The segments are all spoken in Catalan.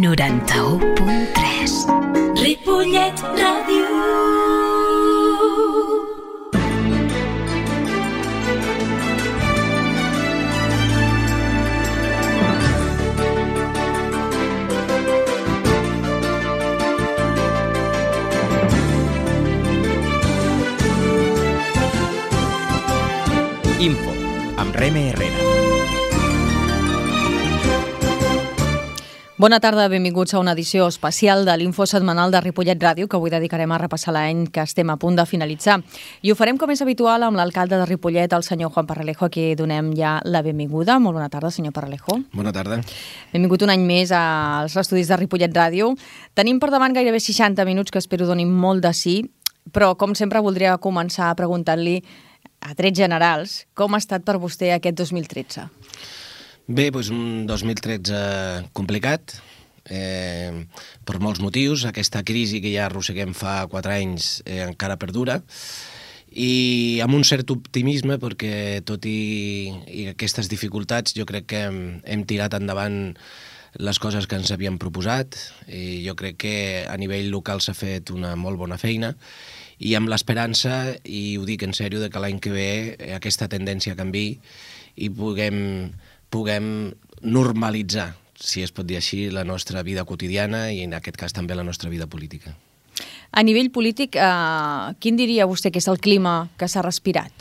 91.3 Ripollet Ràdio. Info, amb Reme Herrera. Bona tarda, benvinguts a una edició especial de l'Info setmanal de Ripollet Ràdio, que avui dedicarem a repassar l'any que estem a punt de finalitzar. I ho farem com és habitual amb l'alcalde de Ripollet, el senyor Juan Parralejo, a qui donem ja la benvinguda. Molt bona tarda, senyor Parralejo. Bona tarda. Benvingut un any més als estudis de Ripollet Ràdio. Tenim per davant gairebé 60 minuts que espero donin molt de sí, però com sempre voldria començar preguntant-li a trets generals, com ha estat per vostè aquest 2013? Bé, doncs un 2013 complicat, per molts motius. Aquesta crisi que ja arrosseguem fa 4 anys encara perdura, i amb un cert optimisme perquè tot i aquestes dificultats jo crec que hem tirat endavant les coses que ens havíem proposat, i jo crec que a nivell local s'ha fet una molt bona feina, i amb l'esperança, i ho dic en sèrio, que l'any que ve aquesta tendència canviï i puguem normalitzar, si es pot dir així, la nostra vida quotidiana i en aquest cas també la nostra vida política. A nivell polític, quin diria vostè que és el clima que s'ha respirat?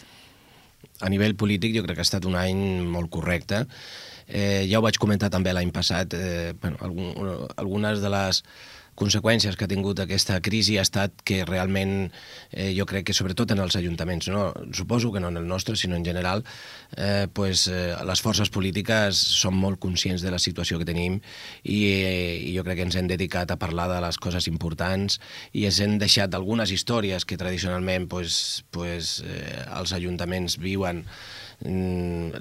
A nivell polític jo crec que ha estat un any molt correcte. Ja ho vaig comentar també l'any passat, algunes de les conseqüències que ha tingut aquesta crisi ha estat que realment jo crec que sobretot en els ajuntaments, no? Suposo que no en el nostre, sinó en general, les forces polítiques són molt conscients de la situació que tenim i jo crec que ens hem dedicat a parlar de les coses importants i ens hem deixat algunes històries que tradicionalment els ajuntaments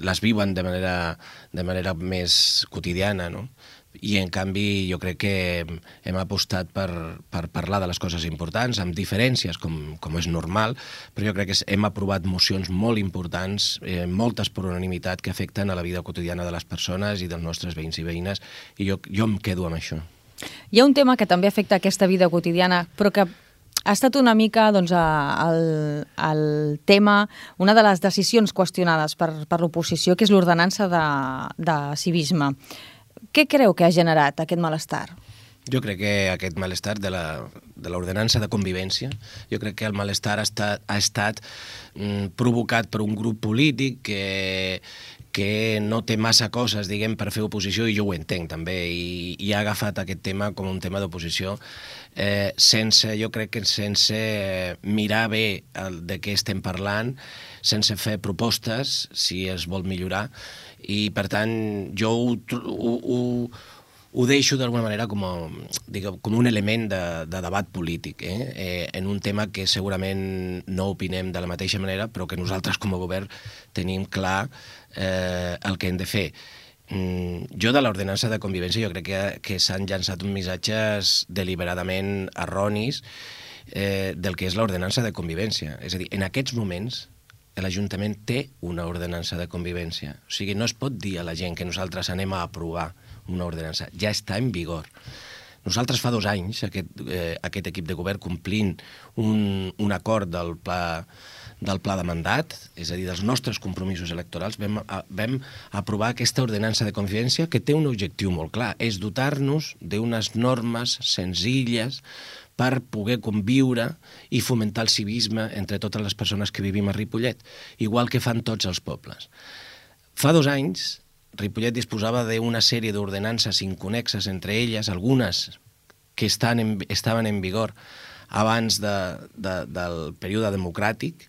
les viuen de manera més quotidiana, no? I en canvi jo crec que hem apostat per parlar de les coses importants, amb diferències com és normal, però jo crec que hem aprovat mocions molt importants, moltes per unanimitat, que afecten a la vida quotidiana de les persones i dels nostres veïns i veïnes, i jo em quedo amb això. Hi ha un tema que també afecta aquesta vida quotidiana, però que ha estat una mica el tema, una de les decisions qüestionades per l'oposició, que és l'ordenança de civisme. Què creu que ha generat aquest malestar? Jo crec que aquest malestar de l'ordenança de convivència, jo crec que el malestar ha estat provocat per un grup polític que no té massa coses, diguem, per fer oposició, i jo ho entenc també, i ha agafat aquest tema com un tema d'oposició jo crec que sense mirar bé de què estem parlant, sense fer propostes si es vol millorar, i per tant jo ho deixo d'alguna manera com un element de debat polític, en un tema que segurament no opinem de la mateixa manera, però que nosaltres com a govern tenim clar el que hem de fer. Jo de l'ordenança de convivència jo crec que s'han llançat uns missatges deliberadament erronis del que és l'ordenança de convivència. És a dir, en aquests moments l'Ajuntament té una ordenança de convivència. O sigui, no es pot dir a la gent que nosaltres anem a aprovar una ordenança. Ja està en vigor. Nosaltres fa 2 anys, aquest equip de govern, complint un acord del pla de mandat, és a dir, dels nostres compromisos electorals, vam aprovar aquesta ordenança de convivència que té un objectiu molt clar, és dotar-nos d'unes normes senzilles per poder conviure i fomentar el civisme entre totes les persones que vivim a Ripollet, igual que fan tots els pobles. Fa 2 anys, Ripollet disposava d'una sèrie d'ordenances inconexes entre elles, algunes que estaven en vigor abans del període democràtic,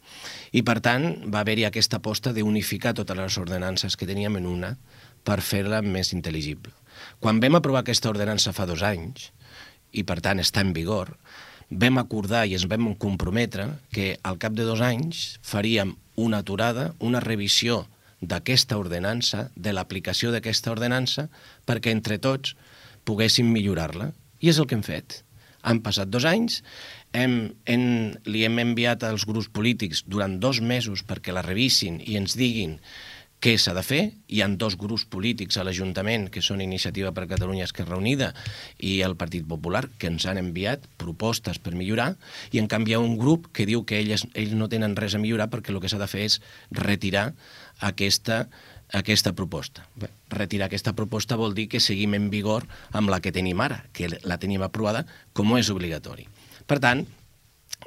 i per tant va haver-hi aquesta aposta d'unificar totes les ordenances que teníem en una per fer-la més intel·ligible. Quan vam aprovar aquesta ordenança fa 2 anys, i per tant està en vigor, vam acordar i ens vam comprometre que al cap de 2 anys faríem una aturada, una revisió d'aquesta ordenança, de l'aplicació d'aquesta ordenança, perquè entre tots poguéssim millorar-la. I és el que hem fet. Han passat 2 anys, li hem enviat als grups polítics durant 2 mesos perquè la revisin i ens diguin què s'ha de fer. Hi ha 2 grups polítics a l'Ajuntament, que són Iniciativa per Catalunya Esquerra Unida i el Partit Popular, que ens han enviat propostes per millorar, i en canvi hi ha un grup que diu que ells no tenen res a millorar perquè el que s'ha de fer és retirar aquesta proposta. Bé, retirar aquesta proposta vol dir que seguim en vigor amb la que tenim ara, que la tenim aprovada com és obligatori. Per tant,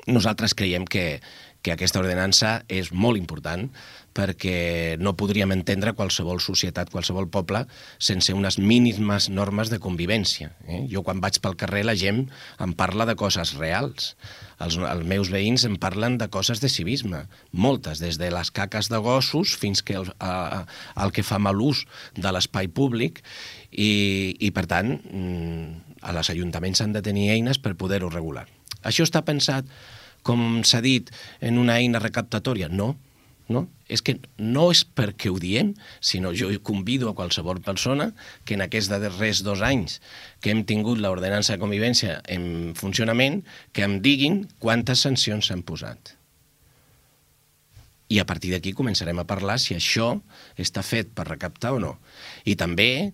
nosaltres creiem que aquesta ordenança és molt important perquè no podríem entendre qualsevol societat, qualsevol poble, sense unes mínimes normes de convivència. Jo quan vaig pel carrer la gent em parla de coses reals. Els meus veïns em parlen de coses de civisme, moltes, des de les caques de gossos fins que el que fa mal ús de l'espai públic i per tant, els ajuntaments han de tenir eines per poder-ho regular. Això està pensat, com s'ha dit, en una eina recaptatòria? No. És que no és perquè ho diem, sinó jo convido a qualsevol persona que en aquests darrers 2 anys que hem tingut l'ordenança de convivència en funcionament, que em diguin quantes sancions s'han posat. I a partir d'aquí començarem a parlar si això està fet per recaptar o no. I també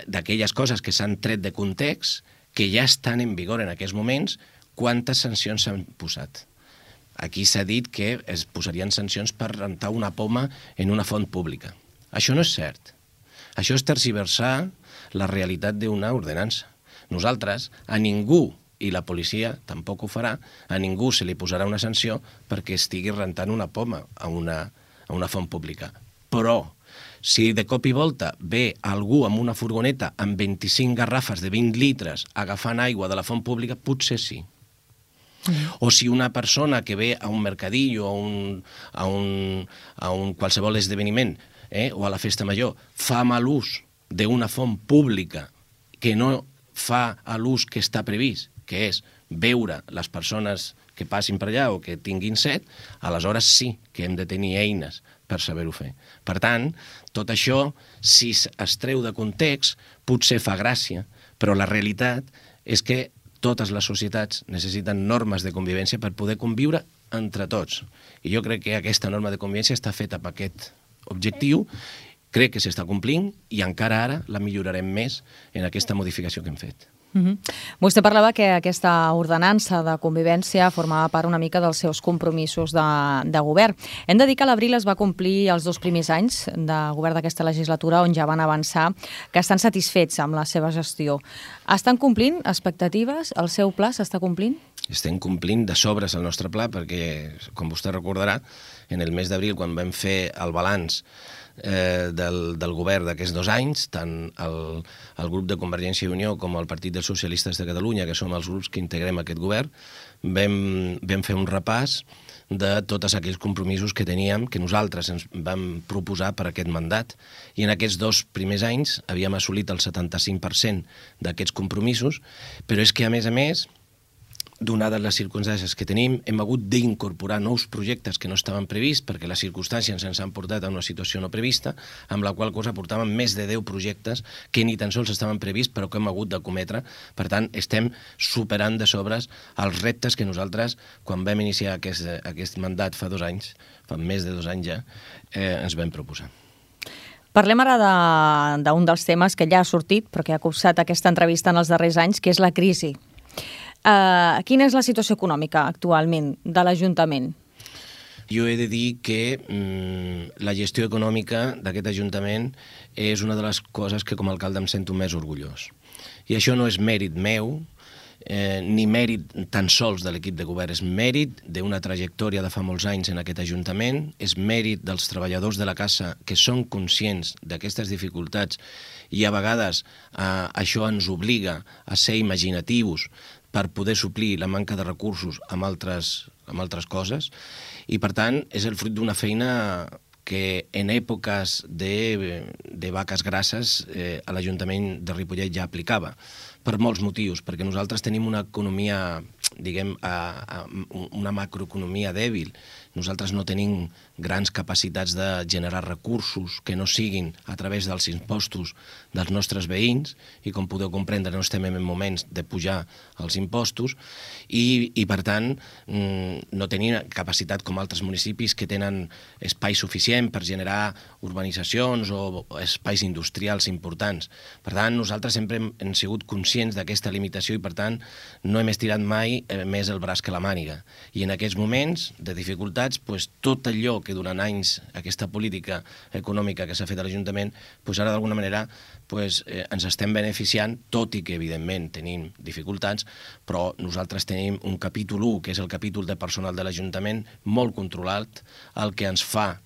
d'aquelles coses que s'han tret de context, que ja estan en vigor en aquests moments, quantes sancions s'han posat. Aquí s'ha dit que es posarien sancions per rentar una poma en una font pública. Això no és cert. Això és tergiversar la realitat d'una ordenança. Nosaltres, a ningú, i la policia tampoc ho farà, a ningú se li posarà una sanció perquè estigui rentant una poma a una font pública. Però, si de cop i volta ve algú amb una furgoneta amb 25 garrafes de 20 litres agafant aigua de la font pública, potser sí. O si una persona que ve a un mercadillo o a un qualsevol esdeveniment o a la festa major fa mal ús d'una font pública que no fa l'ús que està previst, que és veure les persones que passin per allà o que tinguin set, aleshores sí que hem de tenir eines per saber-ho fer. Per tant, tot això, si es treu de context, potser fa gràcia, però la realitat és que totes les societats necessiten normes de convivència per poder conviure entre tots. I jo crec que aquesta norma de convivència està feta amb aquest objectiu, crec que s'està complint i encara ara la millorarem més en aquesta modificació que hem fet. Vostè parlava que aquesta ordenança de convivència formava part una mica dels seus compromisos de govern. Hem de dir que a l'abril es va complir els 2 primers anys de govern d'aquesta legislatura on ja van avançar que estan satisfets amb la seva gestió. Estan complint expectatives? El seu pla s'està complint? Estem complint de sobres el nostre pla perquè, com vostè recordarà, en el mes d'abril, quan vam fer el balanç del govern d'aquests 2 anys, tant el grup de Convergència i Unió com el Partit dels Socialistes de Catalunya, que som els grups que integrem aquest govern, vam fer un repàs de tots aquells compromisos que teníem, que nosaltres ens vam proposar per aquest mandat. I en aquests 2 primers anys havíem assolit el 75% d'aquests compromisos, però és que, a més, donades les circumstàncies que tenim, hem hagut d'incorporar nous projectes que no estaven prevists perquè les circumstàncies ens han portat a una situació no prevista, amb la qual cosa portàvem més de 10 projectes que ni tan sols estaven prevists però que hem hagut de cometre. Per tant, estem superant de sobres els reptes que nosaltres, quan vam iniciar aquest mandat fa 2 anys, fa més de 2 anys ja, ens vam proposar. Parlem ara d'un dels temes que ja ha sortit, però que ha copsat aquesta entrevista en els darrers anys, que és la crisi. Quina és la situació econòmica actualment de l'Ajuntament? Jo he de dir que la gestió econòmica d'aquest Ajuntament és una de les coses que com a alcalde em sento més orgullós. I això no és mèrit meu, ni mèrit tan sols de l'equip de govern, és mèrit d'una trajectòria de fa molts anys en aquest Ajuntament, és mèrit dels treballadors de la casa que són conscients d'aquestes dificultats i a vegades això ens obliga a ser imaginatius per poder suplir la manca de recursos amb altres coses i, per tant, és el fruit d'una feina que en èpoques de vaques grasses a l'Ajuntament de Ripollet ja aplicava, per molts motius, perquè nosaltres tenim una economia, diguem, una macroeconomia dèbil nosaltres no tenim grans capacitats de generar recursos que no siguin a través dels impostos dels nostres veïns, i com podeu comprendre no estem en moments de pujar els impostos, i per tant no tenim capacitat com altres municipis que tenen espai suficient per generar urbanitzacions o espais industrials importants. Per tant, nosaltres sempre hem sigut conscients d'aquesta limitació i per tant no hem estirat mai més el braç que la màniga. I en aquests moments de dificultats, tot allò que durant anys aquesta política econòmica que s'ha fet a l'Ajuntament, ara d'alguna manera ens estem beneficiant, tot i que evidentment tenim dificultats, però nosaltres tenim un capítol 1, que és el capítol de personal de l'Ajuntament, molt controlat, el que ens fa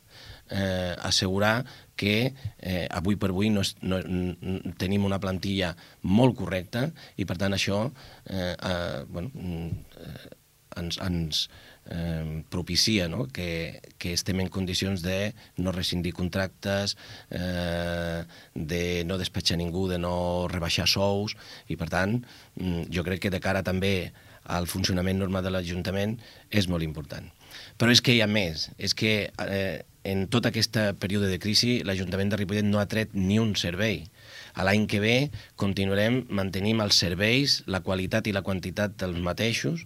assegurar que avui per avui tenim una plantilla molt correcta i per tant això ens propicia que estem en condicions de no rescindir contractes, de no despatxar ningú, de no rebaixar sous, i per tant jo crec que de cara també al funcionament normal de l'Ajuntament és molt important. Però és que hi ha més, és que en tot aquest període de crisi l'Ajuntament de Ripollet no ha tret ni un servei. L'any que ve continuarem mantenint els serveis, la qualitat i la quantitat dels mateixos,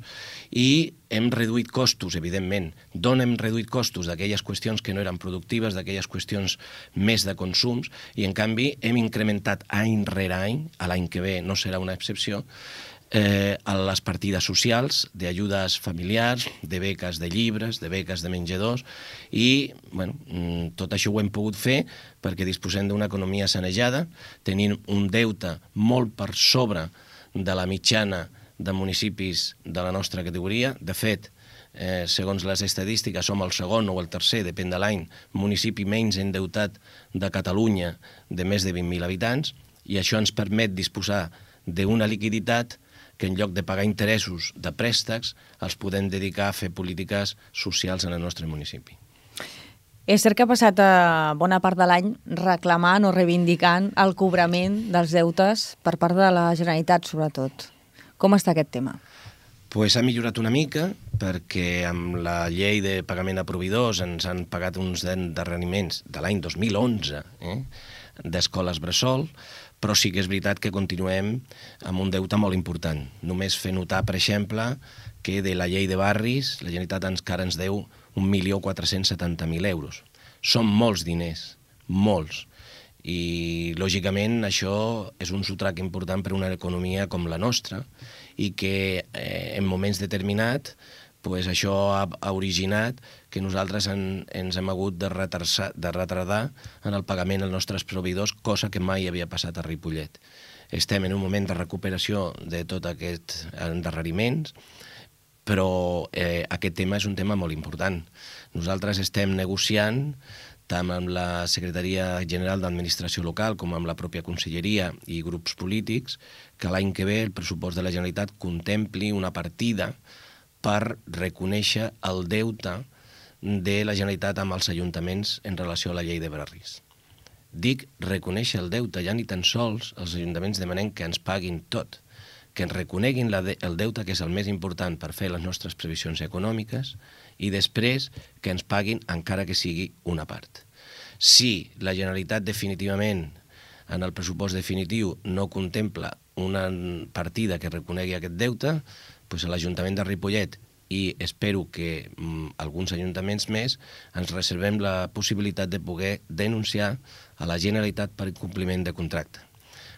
i hem reduït costos, evidentment. D'on hem reduït costos? D'aquelles qüestions que no eren productives, d'aquelles qüestions més de consums, i en canvi hem incrementat any rere any, l'any que ve no serà una excepció, a les partides socials, d'ajudes familiars, de beques de llibres, de beques de menjadors, i tot això ho hem pogut fer perquè disposem d'una economia sanejada, tenint un deute molt per sobre de la mitjana de municipis de la nostra categoria. De fet, segons les estadístiques, som el segon o el tercer, depèn de l'any, municipi menys endeutat de Catalunya, de més de 20.000 habitants, i això ens permet disposar d'una liquiditat que en lloc de pagar interessos de préstecs els podem dedicar a fer polítiques socials en el nostre municipi. És cert que ha passat bona part de l'any reclamant o reivindicant el cobrament dels deutes per part de la Generalitat, sobretot. Com està aquest tema? Ha millorat una mica, perquè amb la llei de pagament a proveïdors ens han pagat uns endarreriments de l'any 2011 d'escoles bressol, però sí que és veritat que continuem amb un deute molt important. Només fer notar, per exemple, que de la llei de barris la Generalitat encara ens deu 1.470.000 euros. Són molts diners, molts. I, lògicament, això és un sotrac important per a una economia com la nostra i que en moments determinats això ha originat que nosaltres ens hem hagut de retardar en el pagament als nostres proveïdors, cosa que mai havia passat a Ripollet. Estem en un moment de recuperació de tots aquests endarreriments, però aquest tema és un tema molt important. Nosaltres estem negociant tant amb la Secretaria General d'Administració Local com amb la pròpia Conselleria i grups polítics que l'any que ve el pressupost de la Generalitat contempli una partida per reconèixer el deute de la Generalitat amb els ajuntaments en relació a la llei de barris. Dic reconèixer el deute, ja ni tan sols els ajuntaments demanem que ens paguin tot, que ens reconeguin el deute, que és el més important per fer les nostres previsions econòmiques, i després que ens paguin encara que sigui una part. Si la Generalitat definitivament en el pressupost definitiu no contempla una partida que reconegui aquest deute, l'Ajuntament de Ripollet i espero que alguns ajuntaments més ens reservem la possibilitat de poder denunciar a la Generalitat per incompliment de contracte.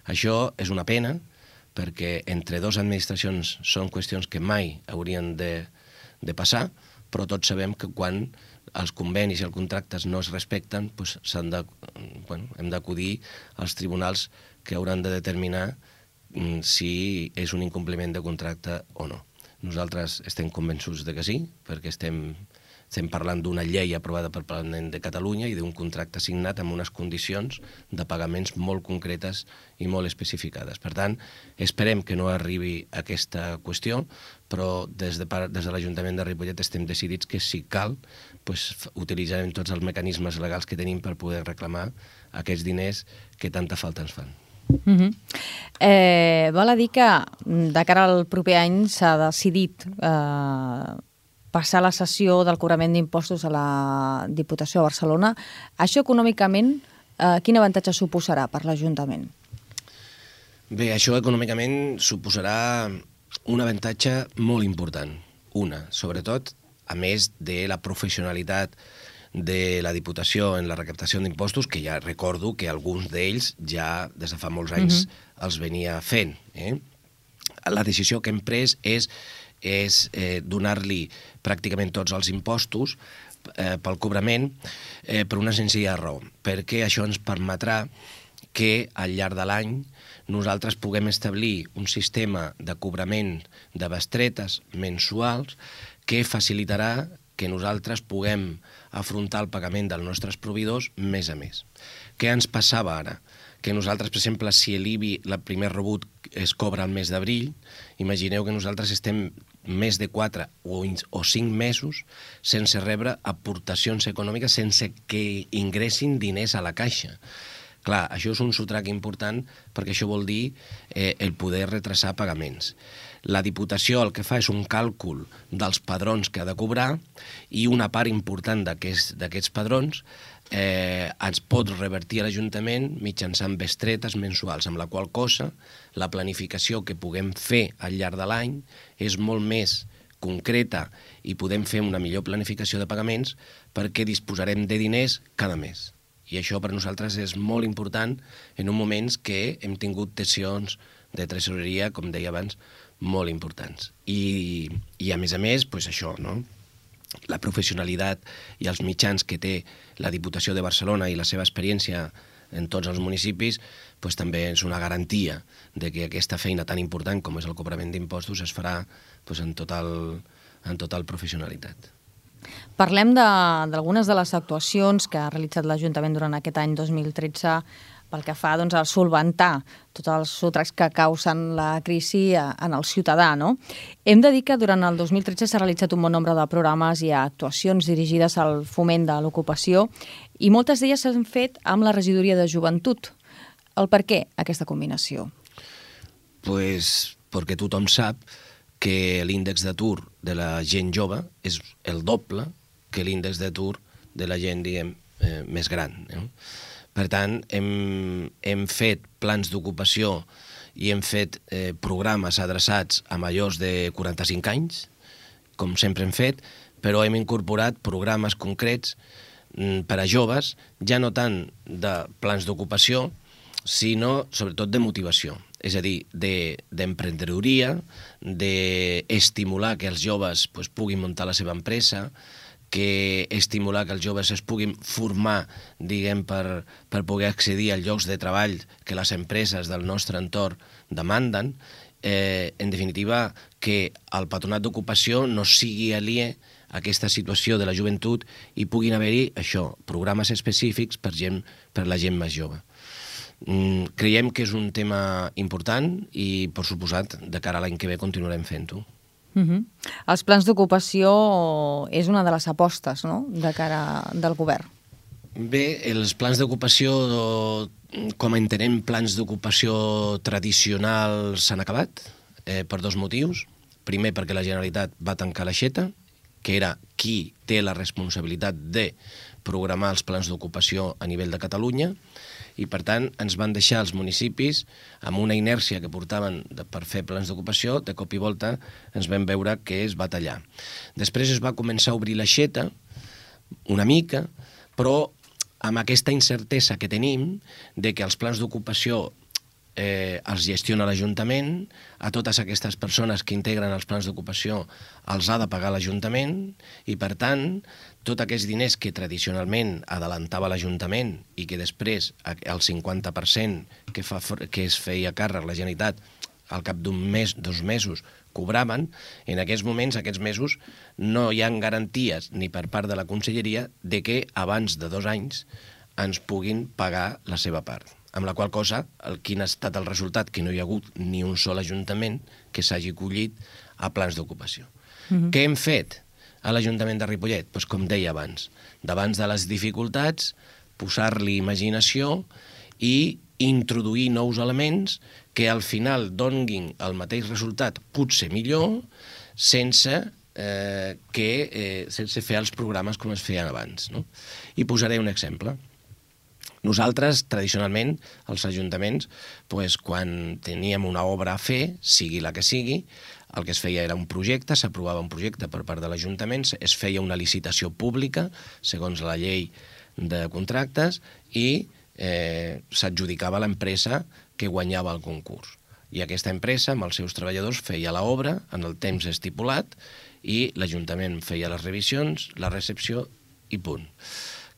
Això és una pena perquè entre dues administracions són qüestions que mai haurien de passar, però tots sabem que quan els convenis i els contractes no es respecten hem d'acudir als tribunals que hauran de determinar si és un incompliment de contracte o no. Nosaltres estem convençuts de que sí, perquè estem parlant d'una llei aprovada pel Parlament de Catalunya i d'un contracte signat amb unes condicions de pagaments molt concretes i molt especificades. Per tant, esperem que no arribi aquesta qüestió, però des de l'Ajuntament de Ripollet estem decidits que si cal, utilitzarem tots els mecanismes legals que tenim per poder reclamar aquests diners que tanta falta ens fan. Val a dir que de cara al proper any s'ha decidit passar la cessió del cobrament d'impostos a la Diputació de Barcelona. Això econòmicament, quin avantatge suposarà per l'Ajuntament? Bé, això econòmicament suposarà un avantatge molt important. Sobretot, a més de la professionalitat de la Diputació en la recaptació d'impostos, que ja recordo que alguns d'ells ja des de fa molts anys els venia fent. La decisió que hem pres és donar-li pràcticament tots els impostos pel cobrament per una senzilla raó, perquè això ens permetrà que al llarg de l'any nosaltres puguem establir un sistema de cobrament de bestretes mensuals que facilitarà que nosaltres puguem afrontar el pagament dels nostres proveïdors mes a mes. Què ens passava ara? Que nosaltres, per exemple, si l'IBI, el primer rebut, es cobra al mes d'abril, imagineu que nosaltres estem més de 4 o 5 mesos sense rebre aportacions econòmiques, sense que ingressin diners a la caixa. Clar, això és un sotrac important perquè això vol dir el poder retrasar pagaments. La Diputació el que fa és un càlcul dels padrons que ha de cobrar i una part important d'aquests padrons ens pot revertir a l'Ajuntament mitjançant bestretes mensuals, amb la qual cosa la planificació que puguem fer al llarg de l'any és molt més concreta i podem fer una millor planificació de pagaments perquè disposarem de diners cada mes. I això per nosaltres és molt important en un moments que hem tingut tensions de tresoreria, com deia abans, molt importants. I a més, això, no? La professionalitat i els mitjans que té la Diputació de Barcelona i la seva experiència en tots els municipis també és una garantia de que aquesta feina tan important com és el cobrament d'impostos es farà en total professionalitat. Parlem d'algunes de les actuacions que ha realitzat l'Ajuntament durant aquest any 2013 pel que fa a solventar tots els sotracs que causen la crisi en el ciutadà. Hem de dir que durant el 2013 s'ha realitzat un bon nombre de programes i actuacions dirigides al foment de l'ocupació i moltes d'elles s'han fet amb la regidoria de joventut. El per què aquesta combinació? Pues perquè tothom sap que l'índex d'atur de la gent jove és el doble que l'índex d'atur de la gent, més gran. Per tant, hem fet plans d'ocupació i hem fet programes adreçats a majors de 45 anys, com sempre hem fet, però hem incorporat programes concrets per a joves, ja no tant de plans d'ocupació, sinó sobretot de motivació. És a dir, d'emprenedoria, d'estimular que els joves puguin muntar la seva empresa, que estimular que els joves es puguin formar, per poder accedir als llocs de treball que les empreses del nostre entorn demanden. En definitiva, que el patronat d'ocupació no sigui aliè a aquesta situació de la joventut i puguin haver-hi, programes específics per la gent més jove. Creiem que és un tema important i, per suposat, de cara a l'any que ve continuarem fent-ho. Els plans d'ocupació és una de les apostes, de cara del govern. Bé, els plans d'ocupació, com entenem, plans d'ocupació tradicionals s'han acabat per dos motius. Primer, perquè la Generalitat va tancar l'aixeta, que era qui té la responsabilitat de programar els plans d'ocupació a nivell de Catalunya, i per tant ens van deixar els municipis amb una inèrcia que portaven per fer plans d'ocupació, de cop i volta ens vam veure que es va tallar. Després es va començar a obrir l'aixeta una mica, però amb aquesta incertesa que tenim de que els plans d'ocupació els gestiona l'Ajuntament, a totes aquestes persones que integren els plans d'ocupació els ha de pagar l'Ajuntament i, per tant, tots aquests diners que tradicionalment adelantava l'Ajuntament i que després el 50% que es feia càrrec la Generalitat al cap d'un mes, 2 mesos, cobraven, en aquests moments, aquests mesos, no hi ha garanties ni per part de la Conselleria de que abans de 2 anys ens puguin pagar la seva part. Amb la qual cosa, quin ha estat el resultat? Que no hi ha hagut ni un sol ajuntament que s'hagi acollit a plans d'ocupació. Què hem fet a l'Ajuntament de Ripollet? Doncs com deia abans, davant de les dificultats, posar-li imaginació i introduir nous elements que al final donguin el mateix resultat, potser millor, sense sense fer els programes com es feien abans, no? I posaré un exemple. Nosaltres, tradicionalment, els ajuntaments, quan teníem una obra a fer, sigui la que sigui, el que es feia era un projecte, s'aprovava un projecte per part de l'Ajuntament, es feia una licitació pública, segons la llei de contractes, i s'adjudicava a l'empresa que guanyava el concurs. I aquesta empresa, amb els seus treballadors, feia l'obra en el temps estipulat i l'Ajuntament feia les revisions, la recepció i punt.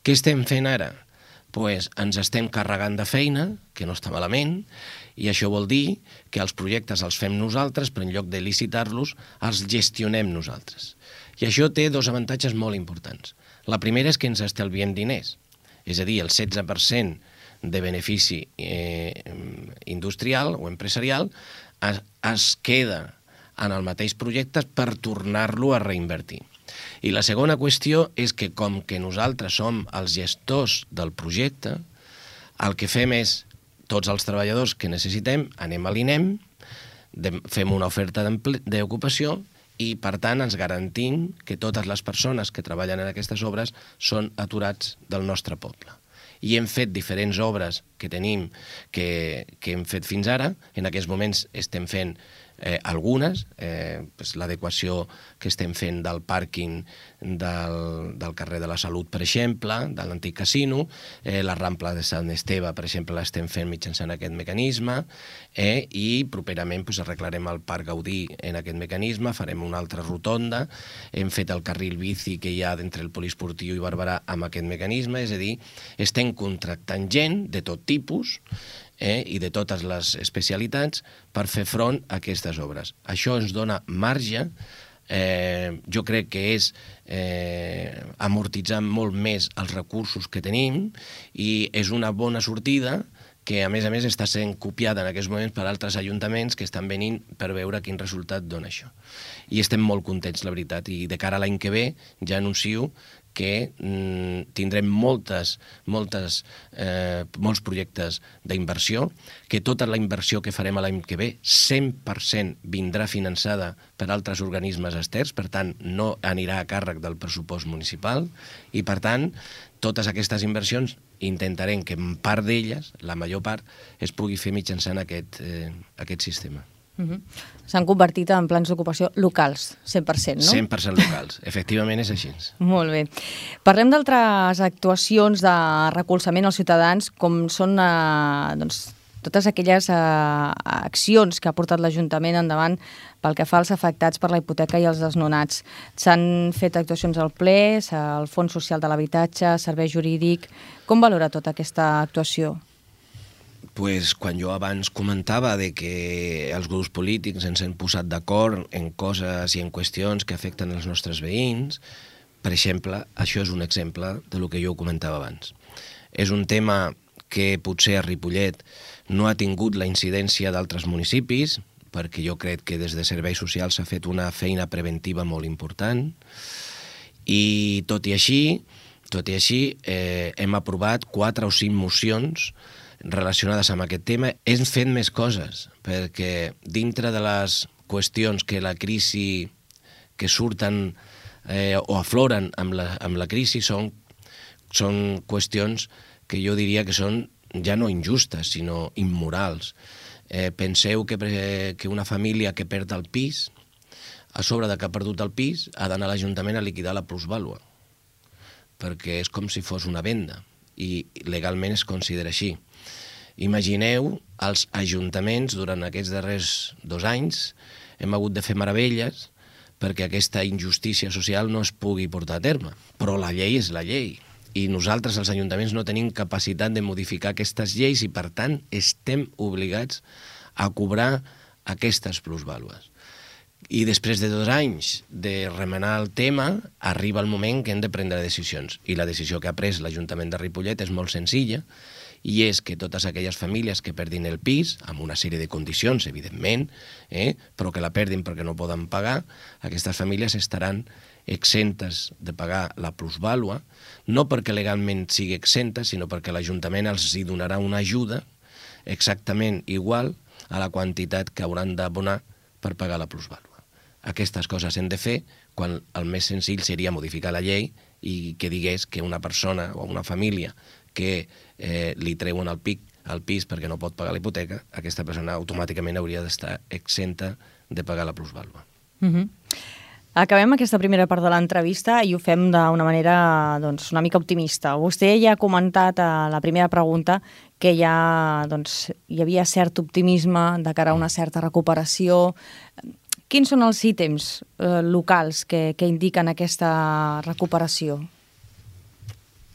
Què estem fent ara? Ens estem carregant de feina, que no està malament, i això vol dir que els projectes els fem nosaltres, però en lloc de licitar-los, els gestionem nosaltres. I això té dos avantatges molt importants. La primera és que ens estalviem diners, és a dir, el 16% de benefici industrial o empresarial es queda en el mateix projecte per tornar-lo a reinvertir. I la segona qüestió és que com que nosaltres som els gestors del projecte, el que fem és, tots els treballadors que necessitem, anem a l'INEM, fem una oferta d'ocupació i, per tant, ens garantim que totes les persones que treballen en aquestes obres són aturats del nostre poble. I hem fet diferents obres que tenim, que hem fet fins ara. En aquests moments estem fent algunes, l'adequació que estem fent del pàrquing del carrer de la Salut, per exemple, de l'antic casino, la Rambla de Sant Esteve, per exemple, l'estem fent mitjançant aquest mecanisme, i properament arreglarem el Parc Gaudí en aquest mecanisme, farem una altra rotonda, hem fet el carril bici que hi ha entre el Poliesportiu i Barberà amb aquest mecanisme, és a dir, estem contractant gent de tot tipus, i de totes les especialitats per fer front a aquestes obres. Això ens dona marge, jo crec que és amortitzar molt més els recursos que tenim i és una bona sortida que, a més, està sent copiada en aquests moments per altres ajuntaments que estan venint per veure quin resultat dona això. I estem molt contents, la veritat, i de cara a l'any que ve ja anuncio que tindrem molts projectes d'inversió, que tota la inversió que farem l'any que ve 100% vindrà finançada per altres organismes externs, per tant, no anirà a càrrec del pressupost municipal, i per tant, totes aquestes inversions intentarem que en part d'elles, la major part, es pugui fer mitjançant aquest sistema. S'han convertit en plans d'ocupació locals, 100%, no? 100% locals, efectivament és així. Molt bé. Parlem d'altres actuacions de recolzament als ciutadans, com són totes aquelles accions que ha portat l'Ajuntament endavant pel que fa als afectats per la hipoteca i els desnonats. S'han fet actuacions al ple, al Fons Social de l'Habitatge, Servei Jurídic. Com valora tota aquesta actuació? Quan jo abans comentava de que els grups polítics ens hem posat d'acord en coses i en qüestions que afecten els nostres veïns, per exemple, això és un exemple del que jo comentava abans. És un tema que potser a Ripollet no ha tingut la incidència d'altres municipis, perquè jo crec que des de Serveis Socials s'ha fet una feina preventiva molt important, i tot i així hem aprovat 4 o 5 mocions relacionades amb aquest tema. Hem fet més coses, perquè dintre de les qüestions que la crisi que surten o afloren amb la crisi són qüestions que jo diria que són ja no injustes, sinó immorals. Penseu que una família que perd el pis, a sobre de que ha perdut el pis, ha d'anar a l'Ajuntament a liquidar la plusvàlua, perquè és com si fos una venda, i legalment es considera així. Imagineu els ajuntaments durant aquests darrers 2 anys hem hagut de fer meravelles perquè aquesta injustícia social no es pugui portar a terme. Però la llei és la llei i nosaltres, els ajuntaments, no tenim capacitat de modificar aquestes lleis i, per tant, estem obligats a cobrar aquestes plusvàlues. I després de 2 anys de remenar el tema, arriba el moment que hem de prendre decisions. I la decisió que ha pres l'Ajuntament de Ripollet és molt senzilla, i és que totes aquelles famílies que perdin el pis, amb una sèrie de condicions, evidentment, però que la perdin perquè no poden pagar, aquestes famílies estaran exentes de pagar la plusvàlua, no perquè legalment sigui exenta, sinó perquè l'Ajuntament els hi donarà una ajuda exactament igual a la quantitat que hauran d'abonar per pagar la plusvàlua. aquestes coses s'han de fer, quan el més senzill seria modificar la llei i que digués que una persona o una família que li treuen el pis perquè no pot pagar la hipoteca, aquesta persona automàticament hauria d'estar exenta de pagar la plusvàlua. Acabem aquesta primera part de l'entrevista i ho fem d'una manera una mica optimista. Vostè ja ha comentat a la primera pregunta que hi havia cert optimisme de cara a una certa recuperació. Quins són els ítems locals que indiquen aquesta recuperació?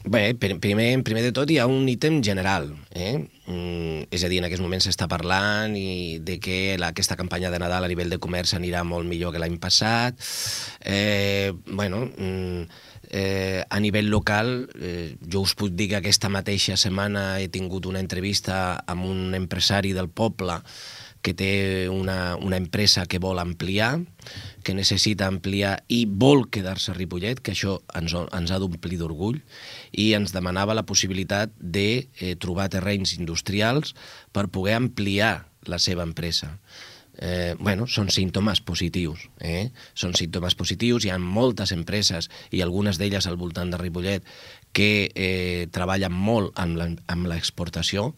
Bé, primer de tot hi ha un ítem general, és a dir, en aquests moments s'està parlant de que aquesta campanya de Nadal a nivell de comerç anirà molt millor que l'any passat. A nivell local, jo us puc dir que aquesta mateixa setmana he tingut una entrevista amb un empresari del poble que té una empresa que vol ampliar, que necessita ampliar i vol quedar-se a Ripollet, que això ens ha d'omplir d'orgull, i ens demanava la possibilitat de trobar terrenys industrials per poder ampliar la seva empresa. Són símptomes positius. Són símptomes positius. Hi ha moltes empreses, i algunes d'elles al voltant de Ripollet, que treballen molt amb l'exportació,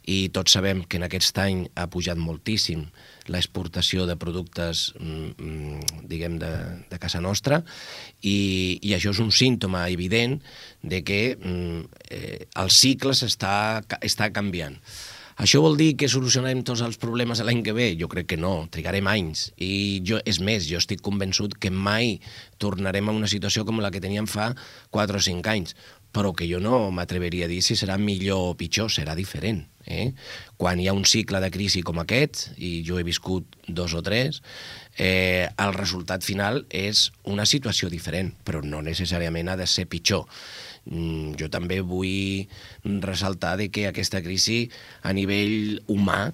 i tots sabem que en aquest any ha pujat moltíssim l'exportació de productes, diguem, de casa nostra, i això és un símptoma evident de que el cicle està canviant. Això vol dir que solucionarem tots els problemes l'any que ve? Jo crec que no, trigarem anys. I és més, jo estic convençut que mai tornarem a una situació com la que teníem fa 4 o 5 anys, però que jo no m'atreveria a dir si serà millor o pitjor, serà diferent. Quan hi ha un cicle de crisi com aquest, i jo he viscut 2 o 3, el resultat final és una situació diferent, però no necessàriament ha de ser pitjor. Jo també vull ressaltar que aquesta crisi a nivell humà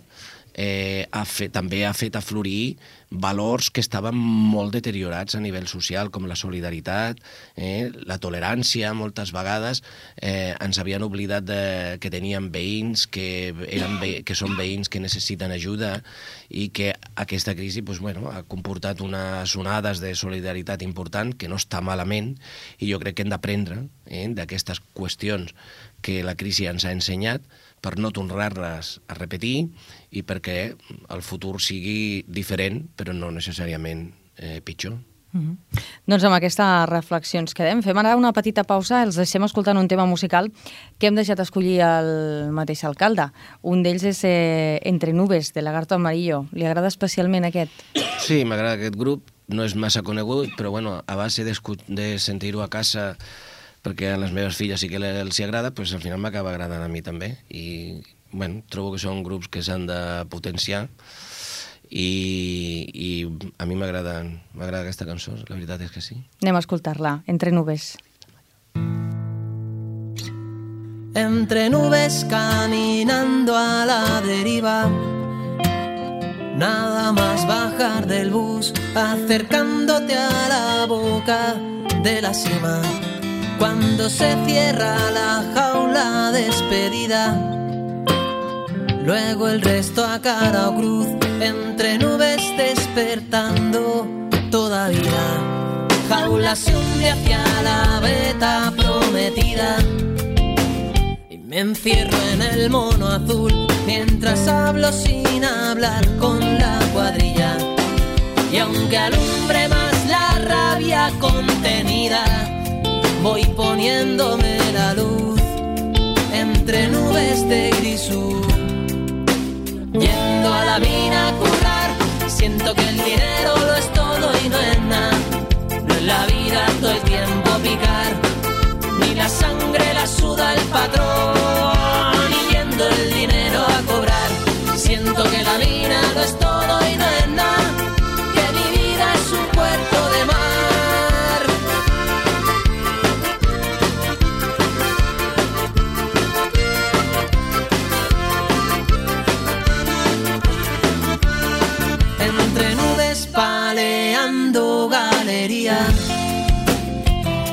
també ha fet aflorir valors que estaven molt deteriorats a nivell social, com la solidaritat, la tolerància. Moltes vegades ens havien oblidat que teníem veïns, que són veïns que necessiten ajuda, i que aquesta crisi ha comportat unes onades de solidaritat important, que no està malament, i jo crec que hem d'aprendre d'aquestes qüestions que la crisi ens ha ensenyat per no tornar-les a repetir i perquè el futur sigui diferent, però no necessàriament pitjor. Doncs amb aquesta reflexió ens quedem. Fem ara una petita pausa, els deixem escoltant un tema musical que hem deixat escollir el mateix alcalde. Un d'ells és Entre nubes, de Lagarto Amarillo. Li agrada especialment aquest? Sí, m'agrada aquest grup. No és massa conegut, però a base de sentir-ho a casa, perquè a les meves filles sí que els agrada, doncs al final m'acaba agradant a mi també. I trobo que són grups que s'han de potenciar, i a mi m'agrada aquesta cançó, la veritat és que sí. Anem a escoltar-la, Entre nubes. Entre nubes caminando a la deriva, nada más bajar del bus, acercándote a la boca de la cima. Cuando se cierra la jaula despedida, luego el resto a cara o cruz, entre nubes despertando todavía. Jaula se hunde hacia la veta prometida y me encierro en el mono azul mientras hablo sin hablar con la cuadrilla. Y aunque alumbre más la rabia contenida, voy poniéndome la luz entre nubes de grisú. Yendo a la mina a currar, siento que el dinero lo es todo y no es nada. No es la vida todo el tiempo picar, ni la sangre la suda el patrón. Y yendo el dinero a cobrar, siento que la mina lo es todo y no es nada, que mi vida es un puerto de mar. Paleando galería,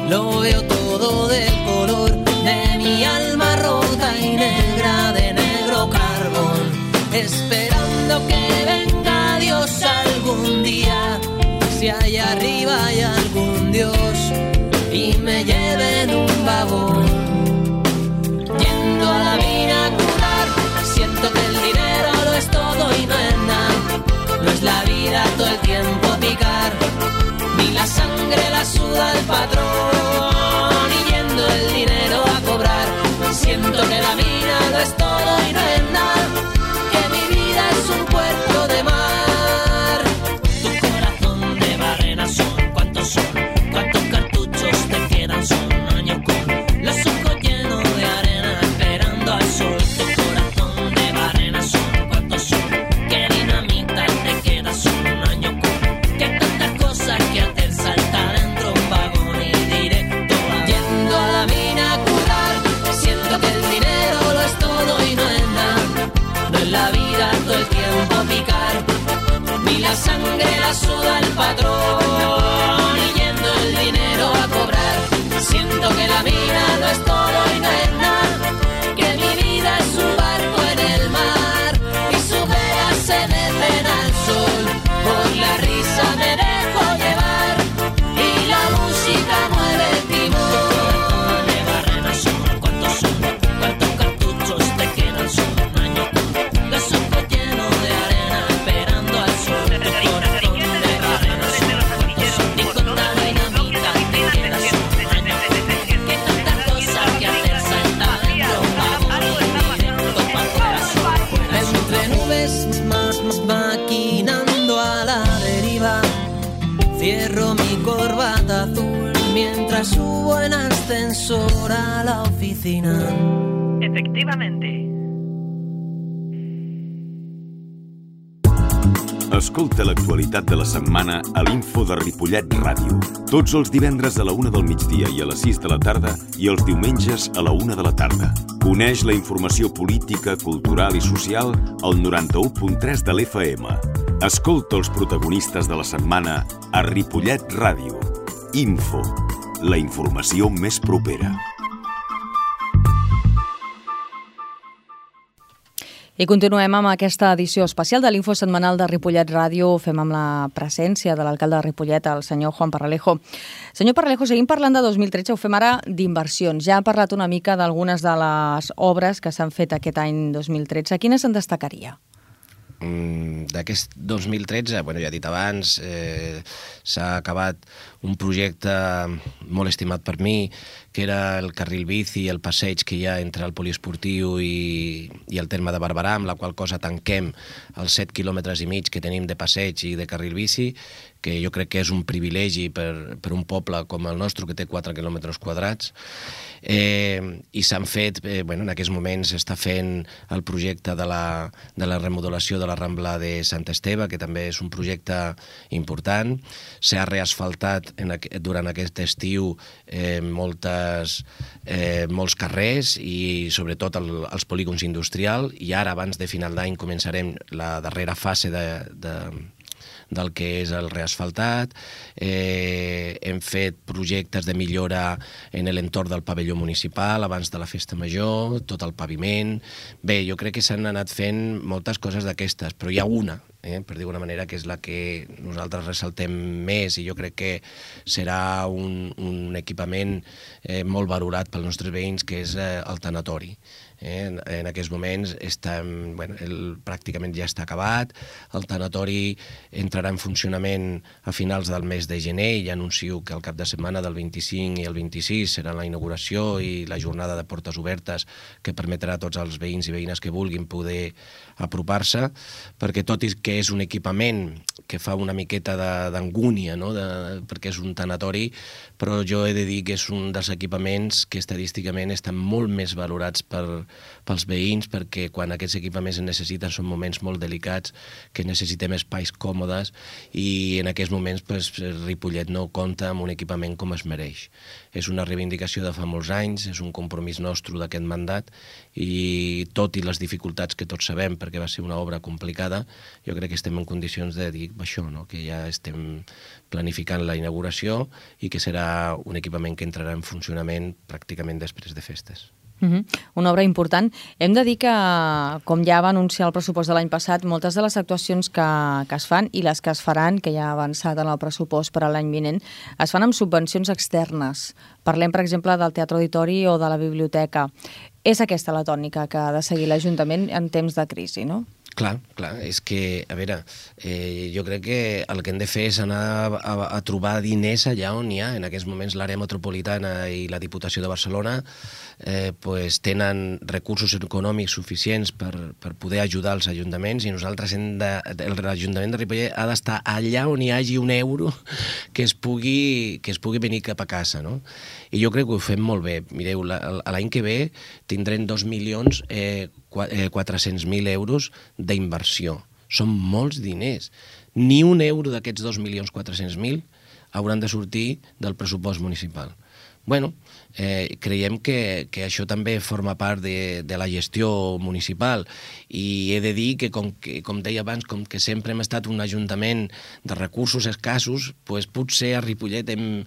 lo veo todo del color de mi alma rota y negra de negro carbón, esperando que venga Dios algún día. Si si allá arriba hay algún Dios y me lleve en un vagón. Yendo a la mina a curar, siento que el dinero lo es todo y no es nada. No es la vida todo el tiempo picar, ni la sangre la suda el patrón. Y yendo el dinero a cobrar, siento que la mina lo es todo y no es nada, que mi vida es un puerto de mar. Tu corazón de barrena son, ¿cuántos son? ¿Cuántos cartuchos te quedan? Son años con los ojos llenos de arena esperando al sol. Tu corazón de barrena son, ¿cuántos son? ¿Qué dinamita te queda? Son años con que tantas cosas que hacer, salta dentro un vagón y directo yendo a la mina a curar. Siento que el dinero lo es todo y no es nada, no es la vida todo el tiempo picar, ni la sangre la suda el patrón. Y yendo el dinero a cobrar, siento que la mina no es todo y no es nada, que mi vida es un barco en el mar y sus velas se meten al sol. Por la risa me dejo llevar y la música mueve el timón. De barrena son, ¿cuántos son? ¿Cuántos cartuchos te quedan? Son años con los ojos llenos de arena esperando al sol. Tu corazón de barrena son, ¿cuántos son? Ni con la dinamita te quedas. Son años que tantas cosas que hacer, salta dentro un vagón y directo pa' fuera, sol fuera. Entre nubes maquinando a la deriva, cierro mi corbata azul mientras subo en ascensor a la oficina. Efectivamente. Escolta l'actualitat de la setmana a l'Info de Ripollet Ràdio. Tots els divendres a la 1 del migdia i a les 6 de la tarda i els diumenges a la 1 de la tarda. Coneix la informació política, cultural i social al 91.3 de l'FM. Escolta els protagonistes de la setmana a Ripollet Ràdio. Info, la informació més propera. I continuem amb aquesta edició especial de l'Info setmanal de Ripollet Ràdio. Ho fem amb la presència de l'alcalde de Ripollet, el senyor Juan Parralejo. Senyor Parralejo, seguim parlant de 2013, ho fem ara d'inversions. Ja ha parlat una mica d'algunes de les obres que s'han fet aquest any 2013. Quines en destacaria? D'aquest 2013, bueno, ja he dit abans, s'ha acabat un projecte molt estimat per mi, que era el carril bici i el passeig que hi ha entre el poliesportiu i el terme de Barberà, amb la qual cosa tanquem els 7 quilòmetres i mig que tenim de passeig i de carril bici, que jo crec que és un privilegi per un poble com el nostre, que té 4 quilòmetres quadrats. I s'han fet, en aquests moments s'està fent el projecte de la remodelació de la Rambla de Sant Esteve, que també és un projecte important. S'ha reasfaltat durant aquest estiu molts carrers i sobretot els polígons industrials, i ara abans de final d'any començarem la darrera fase del que és el reasfaltat. Hem fet projectes de millora en l'entorn del pavelló municipal abans de la festa major, tot el paviment. Bé, jo crec que s'han anat fent moltes coses d'aquestes, però hi ha una, per dir-ho d'una manera, que és la que nosaltres ressaltem més, i jo crec que serà un equipament molt valorat pels nostres veïns, que és el tanatori. En aquests moments pràcticament ja està acabat. El tanatori entrarà en funcionament a finals del mes de gener, i ja anuncio que el cap de setmana del 25 i el 26 serà la inauguració i la jornada de portes obertes, que permetrà a tots els veïns i veïnes que vulguin poder apropar-se, perquè tot i que és un equipament que fa una miqueta d'angúnia, perquè és un tanatori, però jo he de dir que és un dels equipaments que estadísticament estan molt més valorats pels veïns, perquè quan aquests equipaments es necessiten són moments molt delicats, que necessitem espais còmodes, i en aquests moments Ripollet no compta amb un equipament com es mereix. És una reivindicació de fa molts anys, és un compromís nostre d'aquest mandat, i tot i les dificultats que tots sabem, perquè va ser una obra complicada, jo crec que estem en condicions de dir això, que ja estem planificant la inauguració i que serà un equipament que entrarà en funcionament pràcticament després de festes. Una obra important. Hem de dir que, com ja va anunciar el pressupost de l'any passat, moltes de les actuacions que es fan i les que es faran, que ja ha avançat en el pressupost per a l'any vinent, es fan amb subvencions externes. Parlem, per exemple, del Teatre Auditori o de la biblioteca. És aquesta la tònica que ha de seguir l'Ajuntament en temps de crisi, no? Clar, és que, a veure, jo crec que el que hem de fer és anar a trobar diners allà on hi ha. En aquests moments l'àrea metropolitana i la Diputació de Barcelona tenen recursos econòmics suficients per poder ajudar els ajuntaments i nosaltres l'Ajuntament de Ripollet ha d'estar allà on hi hagi un euro que es pugui venir cap a casa, no? I jo crec que ho fem molt bé. Mireu, l'any que ve tindrem 2.400.000 euros d'inversió. Són molts diners. Ni un euro d'aquests 2.400.000 hauran de sortir del pressupost municipal. Bueno, creiem que això també forma part de la gestió municipal i he de dir que, com deia abans, com que sempre hem estat un ajuntament de recursos escassos, potser a Ripollet hem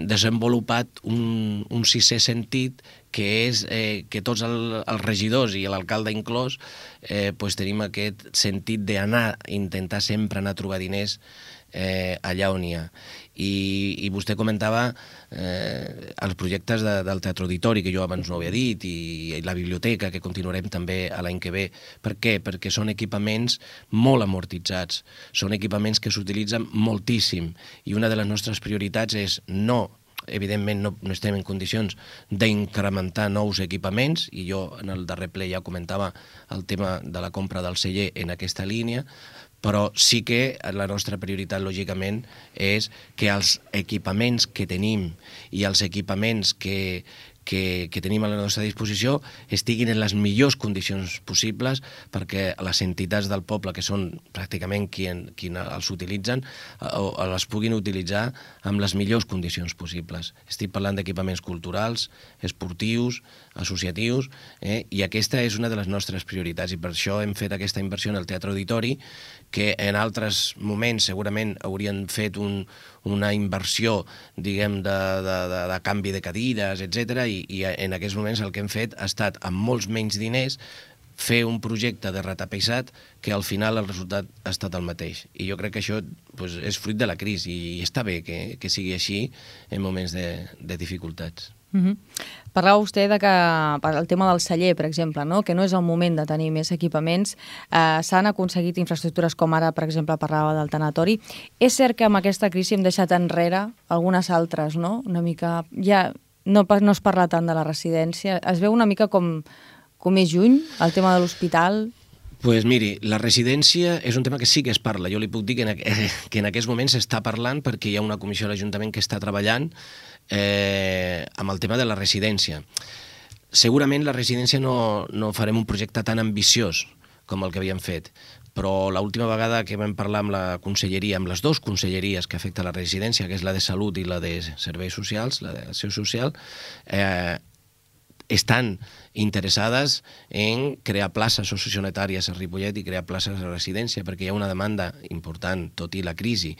desenvolupat un sisè sentit, que és que tots els regidors i l'alcalde inclòs tenim aquest sentit d'anar, intentar sempre anar a trobar diners allà on hi ha. I vostè comentava els projectes del Teatre Auditori, que jo abans no havia dit, i la biblioteca, que continuarem també l'any que ve. Per què? Perquè són equipaments molt amortitzats, són equipaments que s'utilitzen moltíssim, i una de les nostres prioritats és evidentment no estem en condicions d'incrementar nous equipaments, i jo en el darrer ple ja comentava el tema de la compra del celler en aquesta línia, però sí que la nostra prioritat, lògicament, és que els equipaments que tenim i els equipaments que tenim a la nostra disposició estiguin en les millors condicions possibles perquè les entitats del poble, que són pràcticament qui els utilitzen, les puguin utilitzar amb les millors condicions possibles. Estic parlant d'equipaments culturals, esportius, associatius, i aquesta és una de les nostres prioritats, i per això hem fet aquesta inversió en el Teatre Auditori, que en altres moments segurament haurien fet una inversió, diguem, de canvi de cadires, etc. I en aquests moments el que hem fet ha estat, amb molts menys diners, fer un projecte de retapeissat que al final el resultat ha estat el mateix. I jo crec que això és fruit de la crisi i està bé que sigui així en moments de dificultats. Parlava vostè el tema del celler, per exemple, que no és el moment de tenir més equipaments. S'han aconseguit infraestructures com ara, per exemple, parlava del tanatori. És cert que amb aquesta crisi hem deixat enrere algunes altres, no? Una mica... Ja no es parla tant de la residència. Es veu una mica com més lluny, el tema de l'hospital? Doncs miri, la residència és un tema que sí que es parla. Jo li puc dir que en aquests moments s'està parlant perquè hi ha una comissió de l'Ajuntament que està treballant amb el tema de la residència. Segurament la residència no farem un projecte tan ambiciós com el que havíem fet, però l'última vegada que vam parlar amb la conselleria, amb les dues conselleries que afecta la residència, que és la de Salut i la de Serveis Socials, la d'acció social, estan interessades en crear places sociosanitàries a Ripollet i crear places de residència, perquè hi ha una demanda important, tot i la crisi.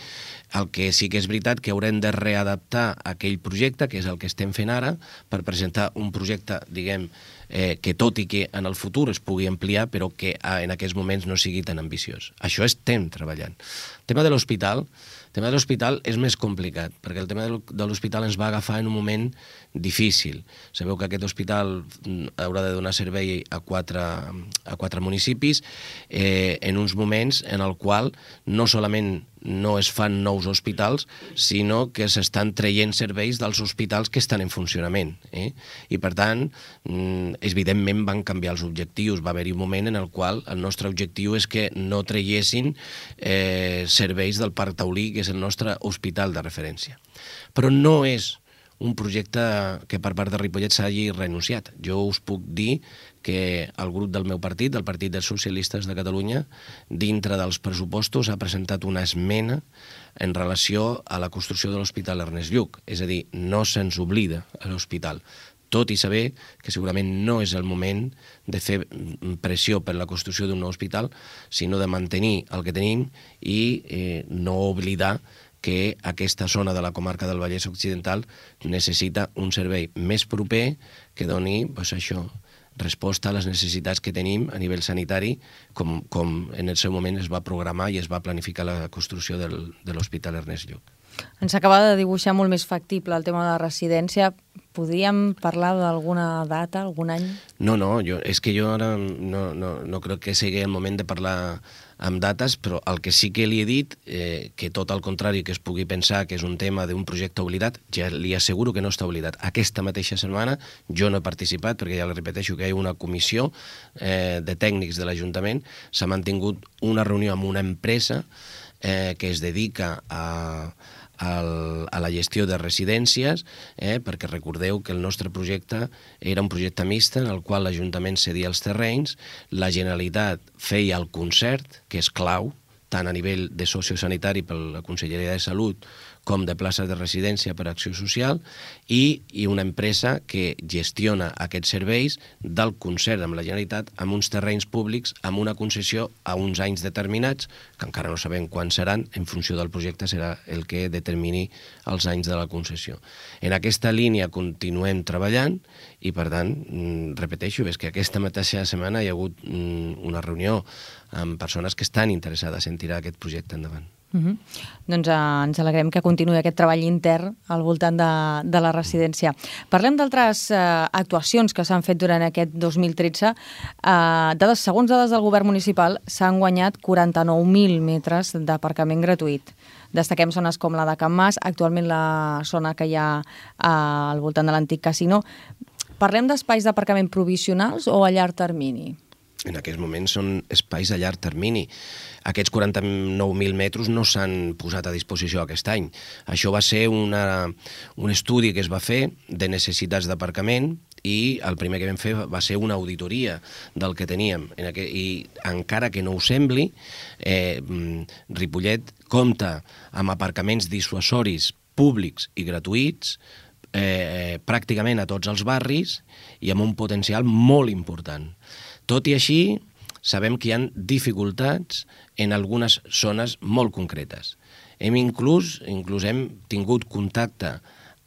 El que sí que és veritat que haurem de readaptar aquell projecte, que és el que estem fent ara, per presentar un projecte, diguem, que tot i que en el futur es pugui ampliar, però que en aquests moments no sigui tan ambiciós. Això estem treballant. El tema de l'hospital és més complicat, perquè el tema de l'hospital ens va agafar en un moment difícil. Sabeu que aquest hospital haurà de donar servei a quatre municipis en uns moments en el qual no solament no es fan nous hospitals, sinó que s'estan traient serveis dels hospitals que estan en funcionament. I, per tant, evidentment van canviar els objectius. Va haver-hi un moment en el qual el nostre objectiu és que no traiessin serveis del Parc Taulí, que és el nostre hospital de referència. Però no és un projecte que per part de Ripollet s'hagi renunciat. Jo us puc dir que el grup del meu partit, el Partit dels Socialistes de Catalunya, dintre dels pressupostos ha presentat una esmena en relació a la construcció de l'Hospital Ernest Lluch. És a dir, no se'ns oblida a l'hospital, tot i saber que segurament no és el moment de fer pressió per la construcció d'un nou hospital, sinó de mantenir el que tenim i no oblidar que aquesta zona de la comarca del Vallès Occidental necessita un servei més proper que doni resposta a les necessitats que tenim a nivell sanitari, com en el seu moment es va programar i es va planificar la construcció de l'Hospital Ernest Lluch. Ens acaba de dibuixar molt més factible el tema de la residència. Podríem parlar d'alguna data, algun any? No, és que jo ara no crec que sigui el moment de parlar amb dates, però el que sí que li he dit, que tot al contrari que es pugui pensar que és un tema d'un projecte oblidat, ja li asseguro que no està oblidat. Aquesta mateixa setmana jo no he participat, perquè ja li repeteixo que hi ha una comissió de tècnics de l'Ajuntament, s'ha mantingut una reunió amb una empresa que es dedica a la gestió de residències, perquè recordeu que el nostre projecte era un projecte mixt en el qual l'Ajuntament cedia els terrenys, la Generalitat feia el concert, que és clau, tant a nivell de sociosanitari per la Conselleria de Salut com de places de residència per a Acció Social, i una empresa que gestiona aquests serveis del concert amb la Generalitat amb uns terrenys públics, amb una concessió a uns anys determinats, que encara no sabem quan seran, en funció del projecte serà el que determini els anys de la concessió. En aquesta línia continuem treballant i, per tant, repeteixo, és que aquesta mateixa setmana hi ha hagut una reunió amb persones que estan interessades en tirar aquest projecte endavant. Doncs ens alegrem que continuï aquest treball intern al voltant de la residència. Parlem d'altres actuacions que s'han fet durant aquest 2013. Segons dades del govern municipal, s'han guanyat 49.000 metres d'aparcament gratuït. Destaquem zones com la de Can Mas, actualment la zona que hi ha al voltant de l'antic casino. Parlem d'espais d'aparcament provisionals o a llarg termini? En aquests moments són espais a llarg termini. Aquests 49.000 metres no s'han posat a disposició aquest any. Això va ser un estudi que es va fer de necessitats d'aparcament i el primer que vam fer va ser una auditoria del que teníem. I encara que no ho sembli, Ripollet compta amb aparcaments dissuasoris públics i gratuïts pràcticament a tots els barris i amb un potencial molt important. Tot i així, sabem que hi ha dificultats en algunes zones molt concretes. Inclús hem tingut contacte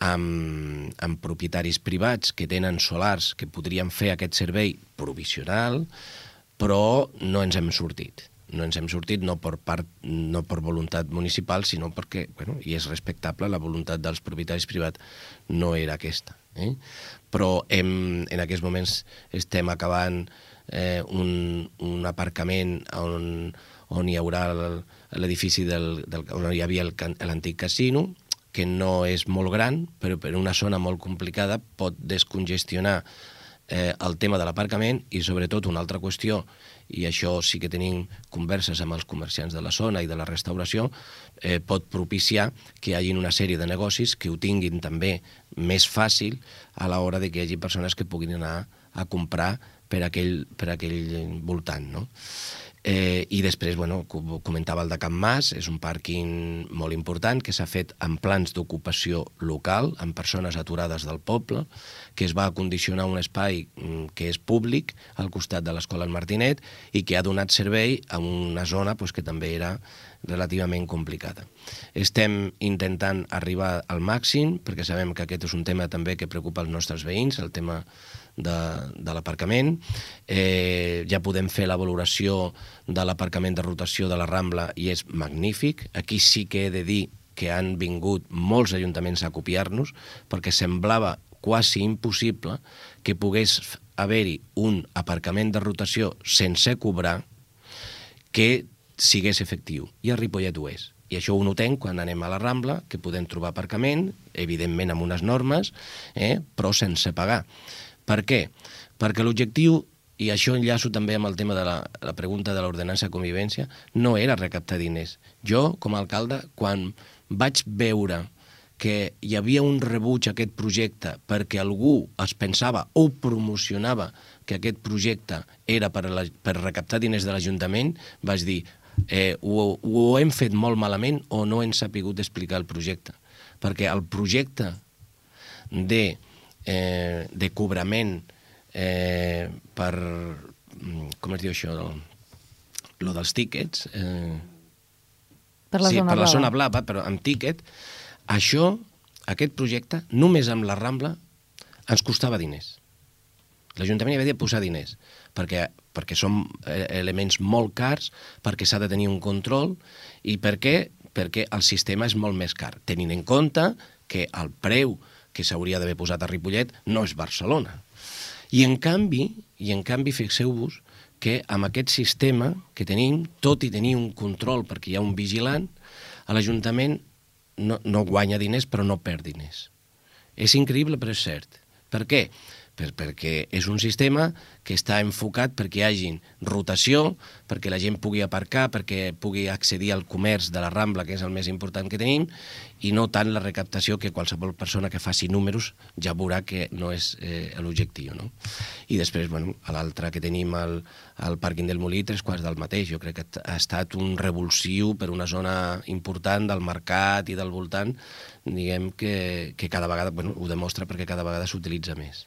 amb propietaris privats que tenen solars que podrien fer aquest servei provisional, però no ens hem sortit. No ens hem sortit no per voluntat municipal, sinó perquè, i és respectable, la voluntat dels propietaris privats no era aquesta. Però en aquests moments estem acabant un aparcament on hi haurà l'edifici on hi havia l'antic casino, que no és molt gran, però per una zona molt complicada pot descongestionar el tema de l'aparcament i sobretot una altra qüestió, i això sí que tenim converses amb els comerciants de la zona i de la restauració, pot propiciar que hi hagi una sèrie de negocis que ho tinguin també més fàcil a l'hora de que hi hagi persones que puguin anar a comprar per aquell voltant, no? I després, comentava el de Can Mas, és un pàrquing molt important que s'ha fet amb plans d'ocupació local, amb persones aturades del poble, que es va acondicionar un espai que és públic al costat de l'Escola Martinet i que ha donat servei a una zona que també era relativament complicada. Estem intentant arribar al màxim, perquè sabem que aquest és un tema també que preocupa els nostres veïns, el tema de l'aparcament. Ja podem fer la valoració de l'aparcament de rotació de la Rambla i és magnífic. Aquí sí que he de dir que han vingut molts ajuntaments a copiar-nos perquè semblava quasi impossible que pogués haver-hi un aparcament de rotació sense cobrar que sigués efectiu. I a Ripollet ho és. I això ho notem quan anem a la Rambla, que podem trobar aparcament, evidentment amb unes normes, però sense pagar. Per què? Perquè l'objectiu, i això enllaço també amb el tema de la pregunta de l'ordenança de convivència, no era recaptar diners. Jo, com a alcalde, quan vaig veure que hi havia un rebuig a aquest projecte perquè algú es pensava o promocionava que aquest projecte era per recaptar diners de l'Ajuntament, vaig dir, ho hem fet molt malament o no hem sapigut explicar el projecte. Perquè el projecte de cobrament per, com es diu això, lo dels tíquets, Per la zona per la blava. zona blava, però amb tíquet. Això, aquest projecte, només amb la Rambla, ens costava diners. L'Ajuntament hi havia de posar diners, perquè són elements molt cars, perquè s'ha de tenir un control, i perquè el sistema és molt més car, tenint en compte que el preu que s'hauria d'haver posat a Ripollet no és Barcelona. I en canvi, fixeu-vos que amb aquest sistema que tenim, tot i tenir un control perquè hi ha un vigilant, l'Ajuntament no guanya diners però no perd diners. És increïble però és cert. Per què? Perquè és un sistema que està enfocat perquè hi hagi rotació, perquè la gent pugui aparcar, perquè pugui accedir al comerç de la Rambla, que és el més important que tenim, i no tant la recaptació que qualsevol persona que faci números ja veurà que no és l'objectiu. No? I després, a l'altre que tenim al pàrquing del Molí, 3/4 del mateix. Jo crec que ha estat un revulsiu per una zona important del mercat i del voltant, diguem que cada vegada, ho demostra perquè cada vegada s'utilitza més.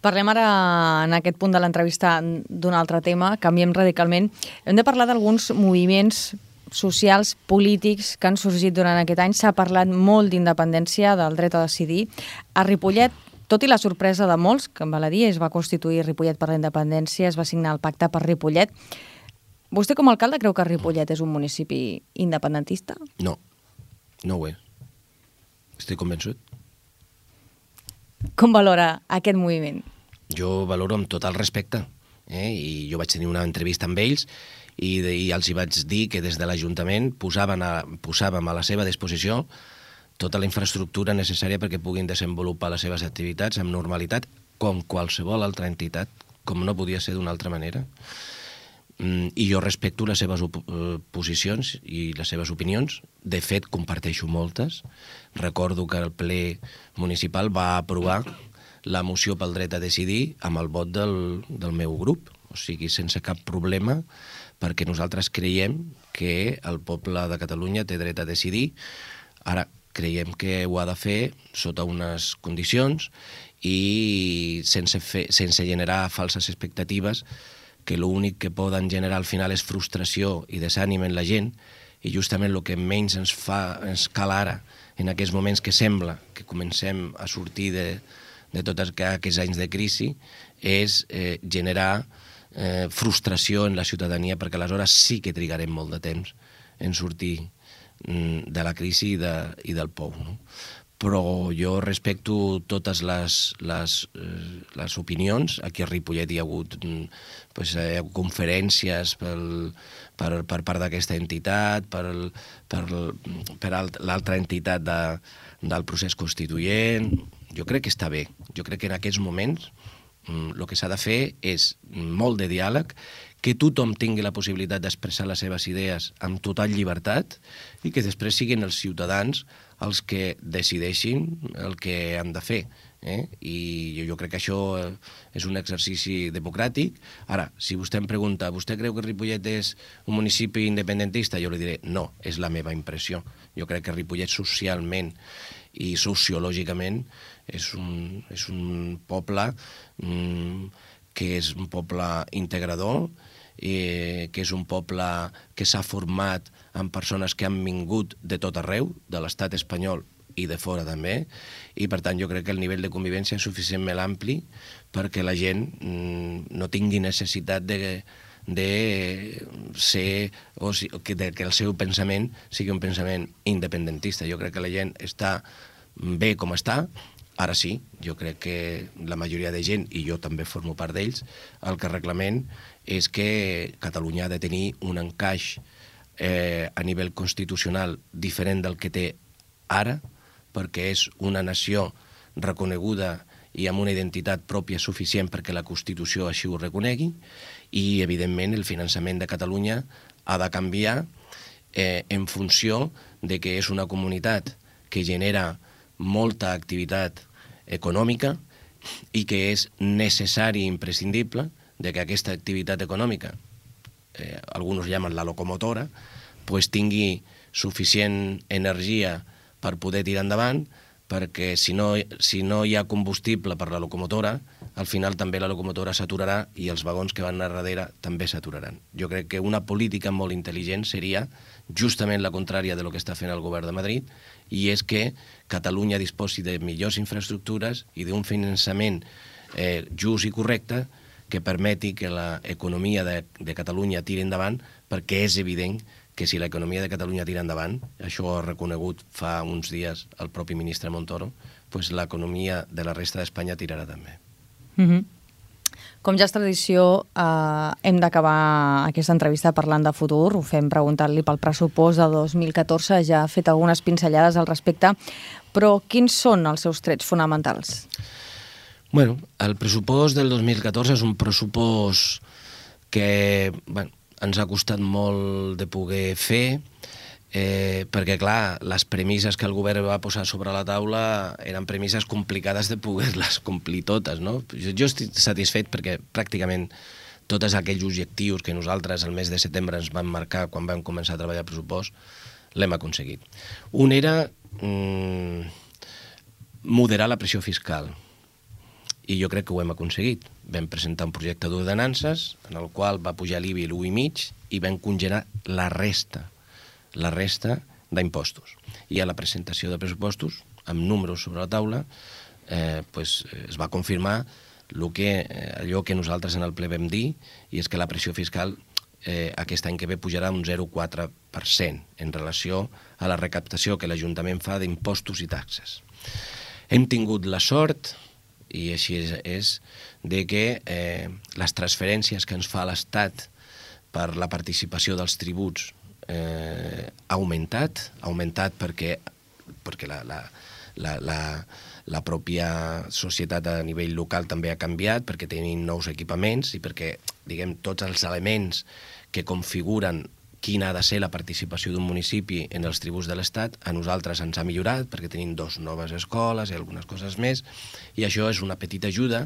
Parlem ara, en aquest punt de l'entrevista, d'un altre tema, canviem radicalment. Hem de parlar d'alguns moviments socials, polítics, que han sorgit durant aquest any. S'ha parlat molt d'independència, del dret a decidir. A Ripollet, tot i la sorpresa de molts, que val a dir, es va constituir Ripollet per la independència, es va signar el pacte per Ripollet. Vostè, com a alcalde, creu que Ripollet és un municipi independentista? No ho és. Estic convençut. Com valora aquest moviment? Jo valoro amb tot el respecte. I jo vaig tenir una entrevista amb ells i els hi vaig dir que des de l'Ajuntament posàvem a la seva disposició tota la infraestructura necessària perquè puguin desenvolupar les seves activitats amb normalitat, com qualsevol altra entitat, com no podia ser d'una altra manera. I jo respecto les seves posicions i les seves opinions. De fet, comparteixo moltes. Recordo que el ple municipal va aprovar la moció pel dret a decidir amb el vot del meu grup, o sigui, sense cap problema, perquè nosaltres creiem que el poble de Catalunya té dret a decidir. Ara, creiem que ho ha de fer sota unes condicions i sense generar falses expectatives, que l'únic que poden generar al final és frustració i desànim en la gent, i justament el que menys ens cal ara, en aquests moments que sembla que comencem a sortir de tots aquests anys de crisi, és generar frustració en la ciutadania, perquè aleshores sí que trigarem molt de temps en sortir de la crisi i del pou. No? Però jo respecto totes les opinions. Aquí a Ripollet hi ha hagut conferències per part d'aquesta entitat, per l'altra entitat del procés constituent. Jo crec que està bé. Jo crec que en aquests moments el que s'ha de fer és molt de diàleg, que tothom tingui la possibilitat d'expressar les seves idees amb total llibertat i que després siguin els ciutadans els que decideixin el que han de fer. I jo crec que això és un exercici democràtic. Ara, si vostè em pregunta, vostè creu que Ripollet és un municipi independentista? Jo li diré, no, és la meva impressió. Jo crec que Ripollet socialment i sociològicament és un poble que és un poble integrador, que és un poble que s'ha format amb persones que han vingut de tot arreu, de l'estat espanyol i de fora també, i per tant jo crec que el nivell de convivència és suficientment ampli perquè la gent no tingui necessitat de ser, o que el seu pensament sigui un pensament independentista. Jo crec que la gent està bé com està. Ara sí, jo crec que la majoria de gent, i jo també formo part d'ells, el que reclamem és que Catalunya ha de tenir un encaix a nivell constitucional diferent del que té ara, perquè és una nació reconeguda i amb una identitat pròpia suficient perquè la Constitució així ho reconegui, i evidentment el finançament de Catalunya ha de canviar en funció de que és una comunitat que genera molta activitat econòmica i que és necessari i imprescindible de que aquesta activitat econòmica, alguns llamen la locomotora, pues tingui suficient energia per poder tirar endavant, perquè si no hi ha combustible per la locomotora, al final també la locomotora s'aturarà i els vagons que van anar darrere també s'aturaran. Jo crec que una política molt intel·ligent seria justament la contrària de lo que està fent el govern de Madrid, i és que Catalunya disposi de millors infraestructures i d'un finançament just i correcte que permeti que l'economia de Catalunya tiri endavant, perquè és evident que si l'economia de Catalunya tira endavant, això ho ha reconegut fa uns dies el propi ministre Montoro, doncs l'economia de la resta d'Espanya tirarà també. Com ja és tradició, hem d'acabar aquesta entrevista parlant de futur. Ho fem preguntant-li pel pressupost de 2014. Ja ha fet algunes pinzellades al respecte, però quins són els seus trets fonamentals? Bueno, el pressupost del 2014 és un pressupost que ens ha costat molt de poder fer, perquè, clar, les premisses que el govern va posar sobre la taula eren premisses complicades de poder-les complir totes, no? Jo estic satisfet perquè pràcticament tots aquells objectius que nosaltres el mes de setembre ens vam marcar quan vam començar a treballar el pressupost, l'hem aconseguit. Un era moderar la pressió fiscal, i jo crec que ho hem aconseguit. Vam presentar un projecte d'ordenances en el qual va pujar l'IBI l'1,5 i vam congelar la resta d'impostos. I a la presentació de pressupostos, amb números sobre la taula, es va confirmar allò que nosaltres en el ple vam dir, i és que la pressió fiscal aquest any que ve pujarà un 0,4% en relació a la recaptació que l'Ajuntament fa d'impostos i taxes. Hem tingut la sort, i així és, de que les transferències que ens fa l'Estat per la participació dels tributs ha augmentat perquè la pròpia societat a nivell local també ha canviat, perquè tenim nous equipaments i perquè, diguem, tots els elements que configuren quina ha de ser la participació d'un municipi en els tributs de l'Estat, a nosaltres ens ha millorat perquè tenim 2 noves escoles i algunes coses més, i això és una petita ajuda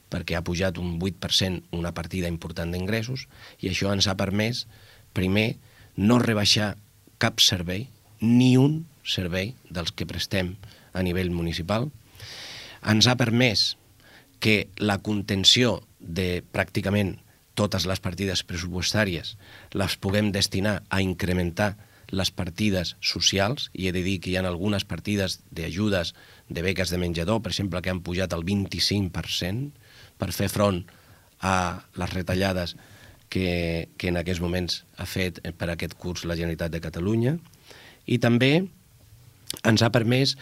perquè ha pujat un 8% una partida important d'ingressos, i això ens ha permès, primer, no rebaixar cap servei, ni un servei dels que prestem a nivell municipal. Ens ha permès que la contenció de pràcticament totes les partides pressupostàries les puguem destinar a incrementar les partides socials, i he de dir que hi ha algunes partides d'ajudes de beques de menjador, per exemple, que han pujat el 25% per fer front a les retallades que en aquests moments ha fet per aquest curs la Generalitat de Catalunya, i també ens ha permès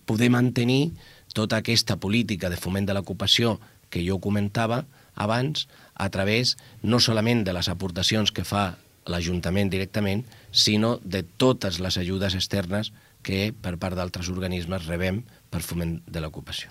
poder mantenir tota aquesta política de foment de l'ocupació que jo comentava abans, a través no solament de les aportacions que fa l'Ajuntament directament, sinó de totes les ajudes externes que per part d'altres organismes rebem per foment de l'ocupació.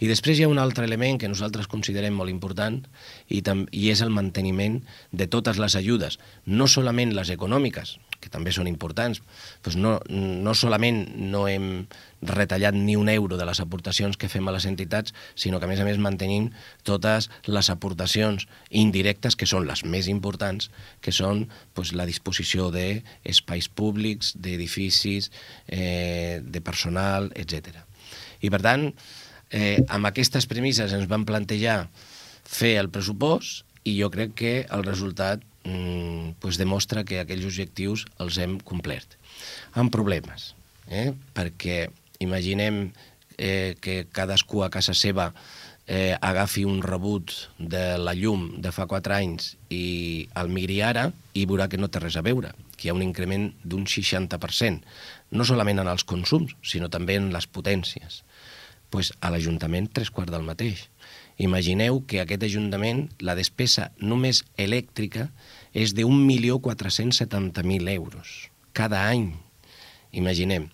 I després hi ha un altre element que nosaltres considerem molt important, i és el manteniment de totes les ajudes, no solament les econòmiques, que també són importants, doncs no solament no hem retallat ni un euro de les aportacions que fem a les entitats, sinó que a més mantenim totes les aportacions indirectes, que són les més importants, que són la disposició d'espais públics, d'edificis, de personal, etc. I per tant, amb aquestes premisses ens vam plantejar fer el pressupost, i jo crec que el resultat demostra que aquells objectius els hem complert. Amb problemes, perquè imaginem que cadascú a casa seva agafi un rebut de la llum de fa 4 anys i el miri ara i veurà que no té res a veure, que hi ha un increment d'un 60%, no solament en els consums, sinó també en les potències. A l'Ajuntament 3/4 del mateix. Imagineu que aquest Ajuntament, la despesa només elèctrica és de 1.470.000 euros cada any. Imaginem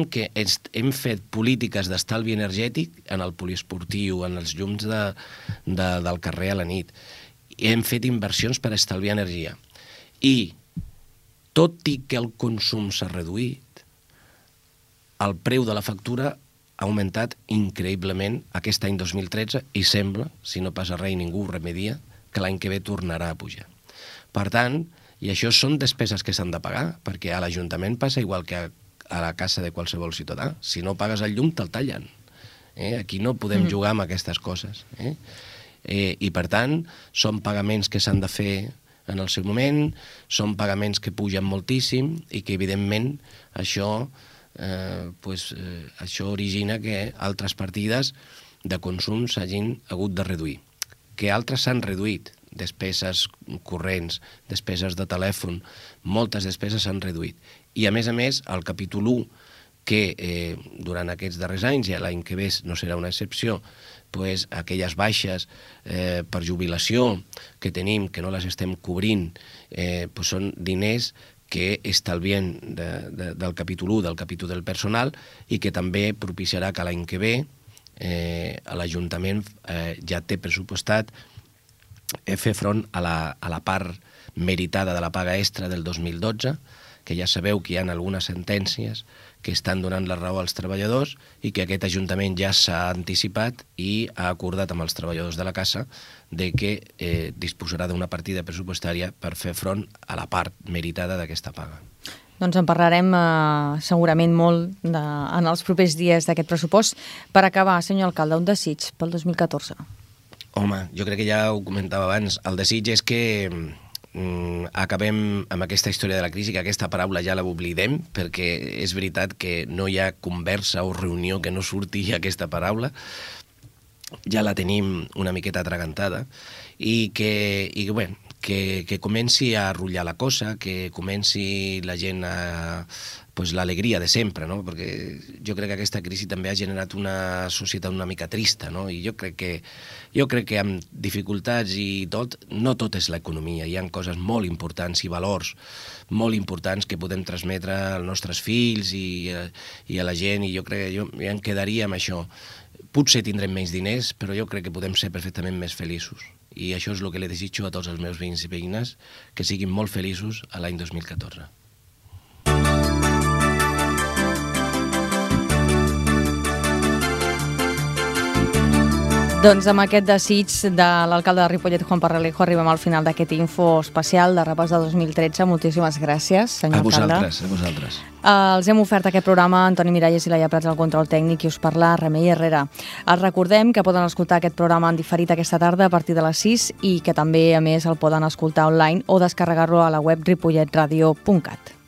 que hem fet polítiques d'estalvi energètic en el poliesportiu, en els llums del carrer a la nit. Hem fet inversions per estalviar energia. I, tot i que el consum s'ha reduït, el preu de la factura ha augmentat increïblement aquest any 2013 i sembla, si no passa res i ningú ho remedia, que l'any que ve tornarà a pujar. Per tant, i això són despeses que s'han de pagar, perquè a l'Ajuntament passa igual que a la casa de qualsevol ciutadà. Si no pagues el llum, te'l tallen. Aquí no podem jugar amb aquestes coses. I, per tant, són pagaments que s'han de fer en el seu moment, són pagaments que pugen moltíssim i que, evidentment, això origina que altres partides de consum s'hagin hagut de reduir. Que altres s'han reduït, despeses corrents, despeses de telèfon, moltes despeses s'han reduït. I, a més, el capítol 1, que durant aquests darrers anys, i l'any que ve no serà una excepció, aquelles baixes per jubilació que tenim, que no les estem cobrint, són diners que estalviem del capítol 1, del capítol del personal, i que també propiciarà que l'any que ve l'Ajuntament ja té pressupostat fer front a la part meritada de la paga extra del 2012, que ja sabeu que hi ha algunes sentències que estan donant la raó als treballadors i que aquest Ajuntament ja s'ha anticipat i ha acordat amb els treballadors de la Casa de que disposarà d'una partida pressupostària per fer front a la part meritada d'aquesta paga. Doncs en parlarem segurament molt en els propers dies d'aquest pressupost. Per acabar, senyor alcalde, un desig pel 2014. Home, jo crec que ja ho comentava abans. El desig és que acabem amb aquesta història de la crisi, que aquesta paraula ja l'oblidem, perquè és veritat que no hi ha conversa o reunió que no surti aquesta paraula, ja la tenim una miqueta atragantada, i que comenci a rotllar la cosa, que comenci la gent a l'alegria de sempre, no? Perquè jo crec que aquesta crisi també ha generat una societat una mica trista, no? I jo crec que amb dificultats i tot, no tot és l'economia, hi ha coses molt importants i valors molt importants que podem transmetre als nostres fills i a la gent, i jo crec que jo em quedaria amb això. Potser tindrem menys diners, però jo crec que podem ser perfectament més feliços. I això és el que li desitjo a tots els meus veïns i veïnes, que siguin molt feliços a l'any 2014. Doncs amb aquest desig de l'alcalde de Ripollet, Juan Parralejo, arribem al final d'aquest info especial de repàs de 2013. Moltíssimes gràcies, senyor alcalde. A vosaltres. Els hem ofert aquest programa Antoni Miralles i Laia Prats al control tècnic, i us parla Remei Herrera. Els recordem que poden escoltar aquest programa en diferit aquesta tarda a partir de les 6 i que també, a més, el poden escoltar online o descarregar-lo a la web ripolletradio.cat.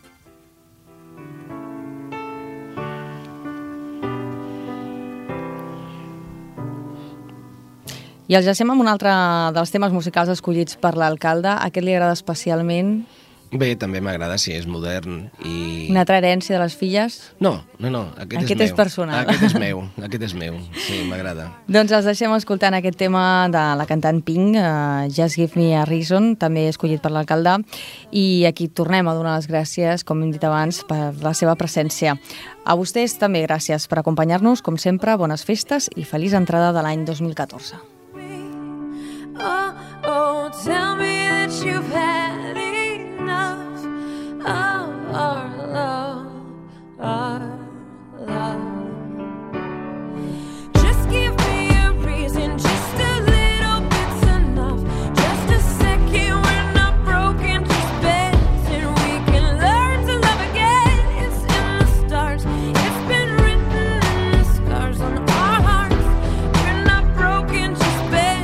I els llacem amb un altre dels temes musicals escollits per l'alcalde. Aquest li agrada especialment? Bé, també m'agrada, sí, és modern i... Una altra herència de les filles? No, aquest és personal. Aquest és meu, sí, m'agrada. Doncs els deixem escoltant aquest tema de la cantant Pink, Just Give Me a Reason, també escollit per l'alcalde, i aquí tornem a donar les gràcies, com hem dit abans, per la seva presència. A vostès també gràcies per acompanyar-nos, com sempre, bones festes i feliç entrada de l'any 2014. Oh, tell me that you've had enough of our love, our love. Just give me a reason, just a little bit's enough. Just a second, we're not broken, just bent, and we can learn to love again. It's in the stars, it's been written in the scars on our hearts. We're not broken, just bent.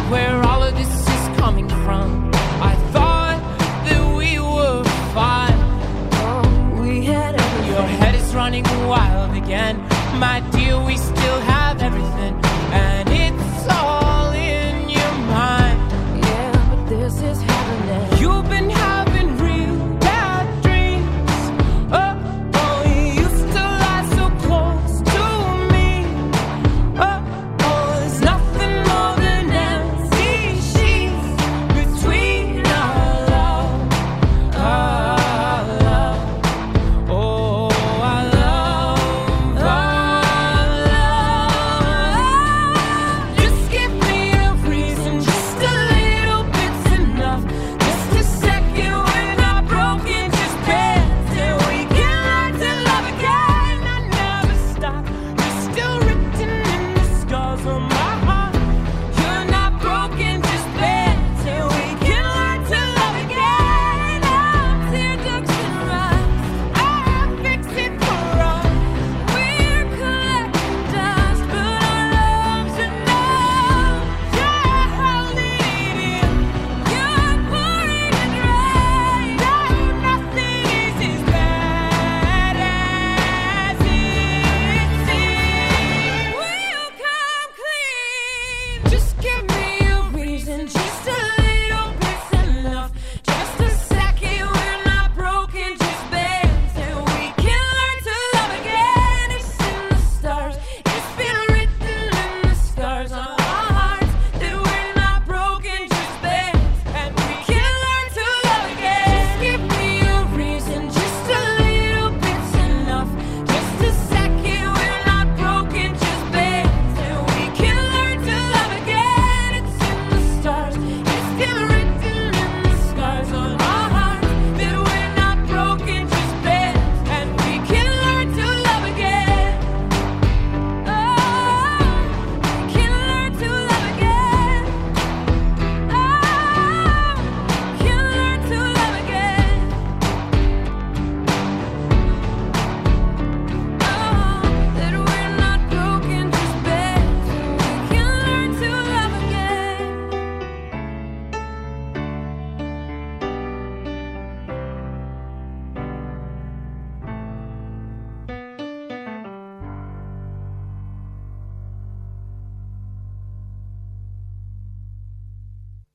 Where all of this is coming from. I thought that we were fine. Oh, we had everything. Your head is running wild again. My